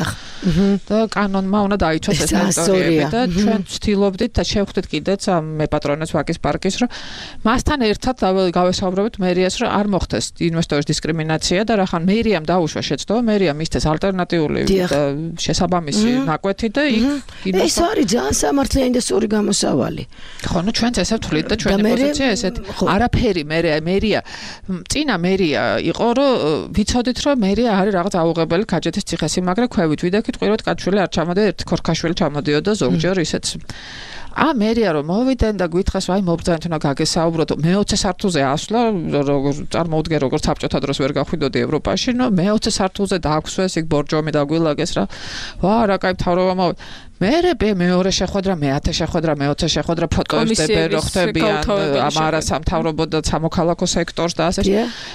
და კანონმა უნდა დაიცვას ეს ტერიტორიები და ჩვენ ვცდილობდით და შევხვდით კიდეც ამ მეპატრონეს ვაკის პარკის რომ მასთან ერთად გავესაუბრებთ მერიას რომ არ მოხდეს ინვესტორის დისკრიმინაცია და რახან მერიამ დაუშვა შეცდომა, მერიამ მისცეს ალტერნატიული და შესაბამისი ნაკვეთი და იქ ეს არის ძალიან სამართლიანი და სწორი გამოსავალი. ხო, ნუ ჩვენც ესე ვთვლით და ჩვენი პოზიცია ესეთი. არაფერი მერია წინა მერია იყო რომ ვიცოდით რომ მერია არის რაღაც აუღებელი ქაჯეთის ციხესიმაგრე ქვევით ვიდექით ყვიროთ კაჩვილი არ ჩამოდიოდა ერთ ქორქაშვილი ჩამოდიოდა ზოგჯერ ისეც მერია რომ მოვიდნენ და გვითხრას აი მობრძანეთ უნდა გაგესაუბროთ მე-20 სართულზე ასვლა როგორ წარმოუდგენ როგორც საბჭოთა დროს ვერ გახვიდოდი ევროპაში ნუ მე-20 სართულზე დააქვსვეს იქ ბორჯომი დაგვილაგეს რა ვა რა кай მთავრობა მერე მეორე შეხვედრა მე-10 შეხვედრა მე-20 შეხვედრა ფოტოებს დებენ რო ხდებიან ამ არასამთავრობო და სამოქალაქო სექტორს და ასე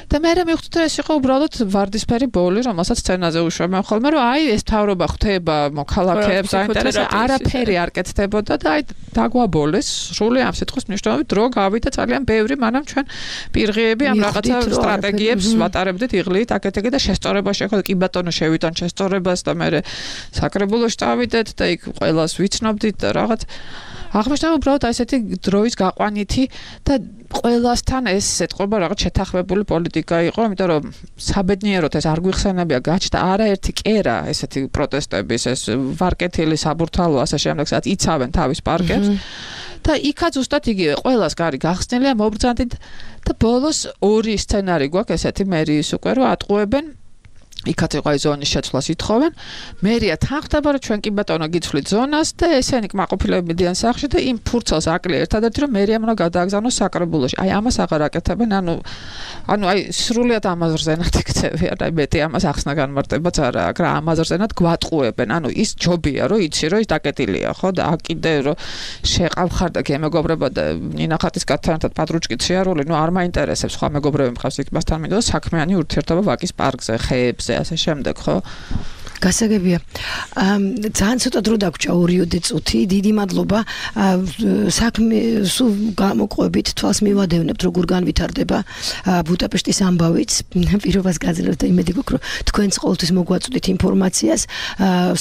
და მერე მივხვდით რომ ეს იყო უბრალოდ ვარდისფერი ბოლი რომელსაც სცენაზე უშვებენ ხოლმე რომ აი ეს მთავრობა ხდება მოქალაქეებს აინტერესებს არაფერი არ კეთდებოდა და აი დაგვაბოლეს სრული ამ სიტყვის მნიშვნელობით დრო გავიდა ძალიან ბევრი მანამ ჩვენ პირღიები ამ რაღაცა სტრატეგიებს ვატარებდით იღლით აკეთებდით და შესწორება შეხვდა კი ბატონო შევიტან შესწორებას და მე საკრებულოში წავიდეთ და იქ ყველას ვიცნობდით და რაღაც აღმოჩნდა უბრალოდ ესეთი დროის გაყვანითი და ყველასთან ეს ეთყობა რაღაც შეთანხმებული პოლიტიკა იყო, იმიტომ რომ საბედნიეროდ ეს არ გვიხსენებია გაჩნდა არაერთი კერა ესეთი პროტესტების, ეს ვარკეთილი საბურთალო ასე შემდეგ, სადაც იცავენ თავის პარკებს და იქაც ზუსტად იგივე ყველას გარი გახსნილია მობრძანდით და ბოლოს ორი სცენარი გვაქვს ესეთი მერიის უკვე რომ ატყუებენ იქაც იყო აი ზონის შეცვლას ითხოვენ. მერია თან ხდება რომ ჩვენ კი ბატონო გიცვლით ზონას და ესენი კმაყოფილები მიდიან სახლში და იმ ფურცელს აკლია ერთადერთი რომ მერიამ უნდა გადააგზავნოს საკრებულოში. აი ამას აღარ აკეთებენ, ანუ აი სრულიად ამაზრზენად იქცევიან, აი მეტი ამას ახსნა განმარტებაც არა აქვს რა ამაზრზენად გვატყუებენ. ანუ ის ჯობია რომ იცი რომ ის დაკეტილია, ხო და აკიდე რომ შეყავხარ და გემეგობრება და ნინახატის კაცთან პატრუჩკით შეარული, ნუ არ მაინტერესებს სხვა მეგობრები მყავს იქ მასთან მინდა საქმიანი ურთიერთობა ვაკის პარკზე, ხეებზე ასე შემდეგ ხო გასაგებია ძალიან ცოტა დრო დაგვრჩა 2 წუთი დიდი მადლობა საქმე სულ გამოყვებით თვალს მივადევნებთ როგორ განვითარდება ბუდაპეშტის ამბავიც პირობას გაძლევთ და იმედი გვაქვს რომ თქვენც ყოველთვის მოგვაწვდით ინფორმაციას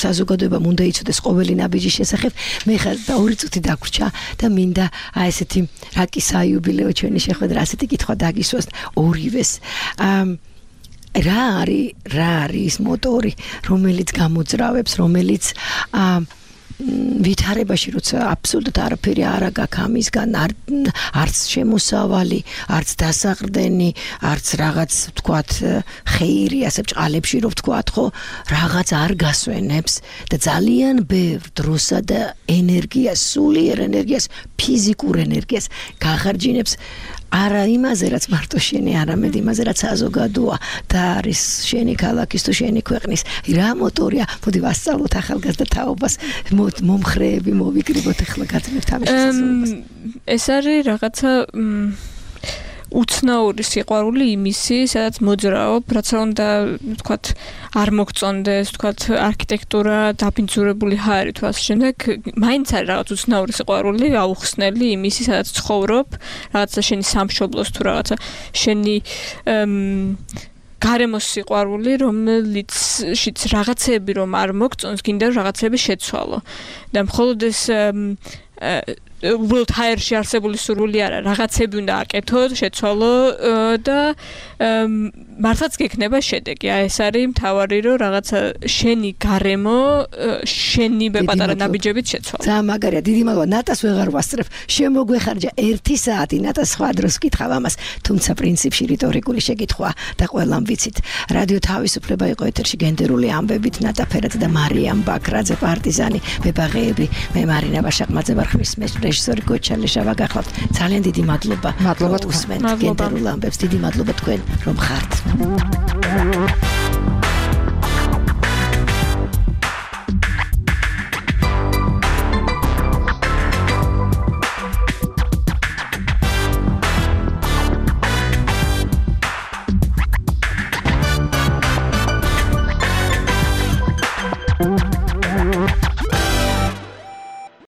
საზოგადოებამ უნდა იცოდეს ყოველი ნაბიჯის შესახებ მე ხარ 2 წუთი დაგვრჩა და მინდა ესეთი რაკი საიუბილეო ჩვენი შეხვედრა ასეთი კითხვა დაგისვას ორივეს რა არის ის მოტორი, რომელიც გამოძრავებს, რომელიც ვითარებაში როცა აბსოლუტურად არაფერი არ აქვს ამისგან არც შემოსავალი, არც დასაყრდენი, არც რაღაც ვთქვათ ხეირი ასე ბჭყალებში რო ვთქვათ ხო, რაღაც არ გასვენებს და ძალიან ბევრ დროსა და ენერგიას, სულიერ ენერგიას, ფიზიკურ ენერგიას გახარჯინებს არა იმაზე რაც მარტო შენი, არამედ იმაზე რაც საზოგადოა და არის შენი ქალაქის თუ შენი ქვეყნის რა მოტორია, მოდი ვასწავლოთ ახალგაზრდა თაობას, მომხრეები მოვიკრიბოთ ახლა გაწმებთ ამის შესაძლებლობას. ეს არის რაღაცა უცნაური სიყვარული იმისი, სადაც მოძრაობ, რაც უნდა ვთქვათ არ მოგწონდეს, ვთქვათ არქიტექტურა, დაბინძურებული ჰაერი თუ ასე შემდეგ, მაინც არის რაღაც უცნაური სიყვარული, აუხსნელი იმისი, სადაც ცხოვრობ, რაღაცა შენი სამშობლოს თუ რაღაცა შენი გარემოს სიყვარული, რომელიცშიც რაღაცები რომ არ მოგწონს, გინდა რომ რაღაცები შეცვალო. და მხოლოდ ეს უბრალოდ ჰაერში არსებული სურვილი არა, რაღაცები უნდა აკეთოთ, შეცვალო და მართლაც გექნება შედეგი. ეს არის მთავარი, რომ რაღაცა შენი გარემო, შენი პატარა ნაბიჯებით შეცვალო. ძალიან მაგარია, დიდი მადლობა. ნატას ვეღარ ვასწრებ. შემოგვეხარჯა 1 საათი, ნატა სხვა დროს ვკითხავ ამას, თუმცა პრინციპში რიტორიკული შეკითხვაა და ყველამ ვიცით. რადიო თავისუფლება იყო ეთერში გენდერული ამბებით, ნატა ფერაძე და მარიამ ბაქრაძე, პარტიზანი, მებაღეები, მე მარინა ბაშაყმაძე ვარ, ხმის რეჟისორი გოჩალეშავა გახლავთ. ძალიან დიდი მადლობა. მადლობა თქვენ გენდერულ ამბებს, დიდი მადლობა თქვენ რომ ხართ.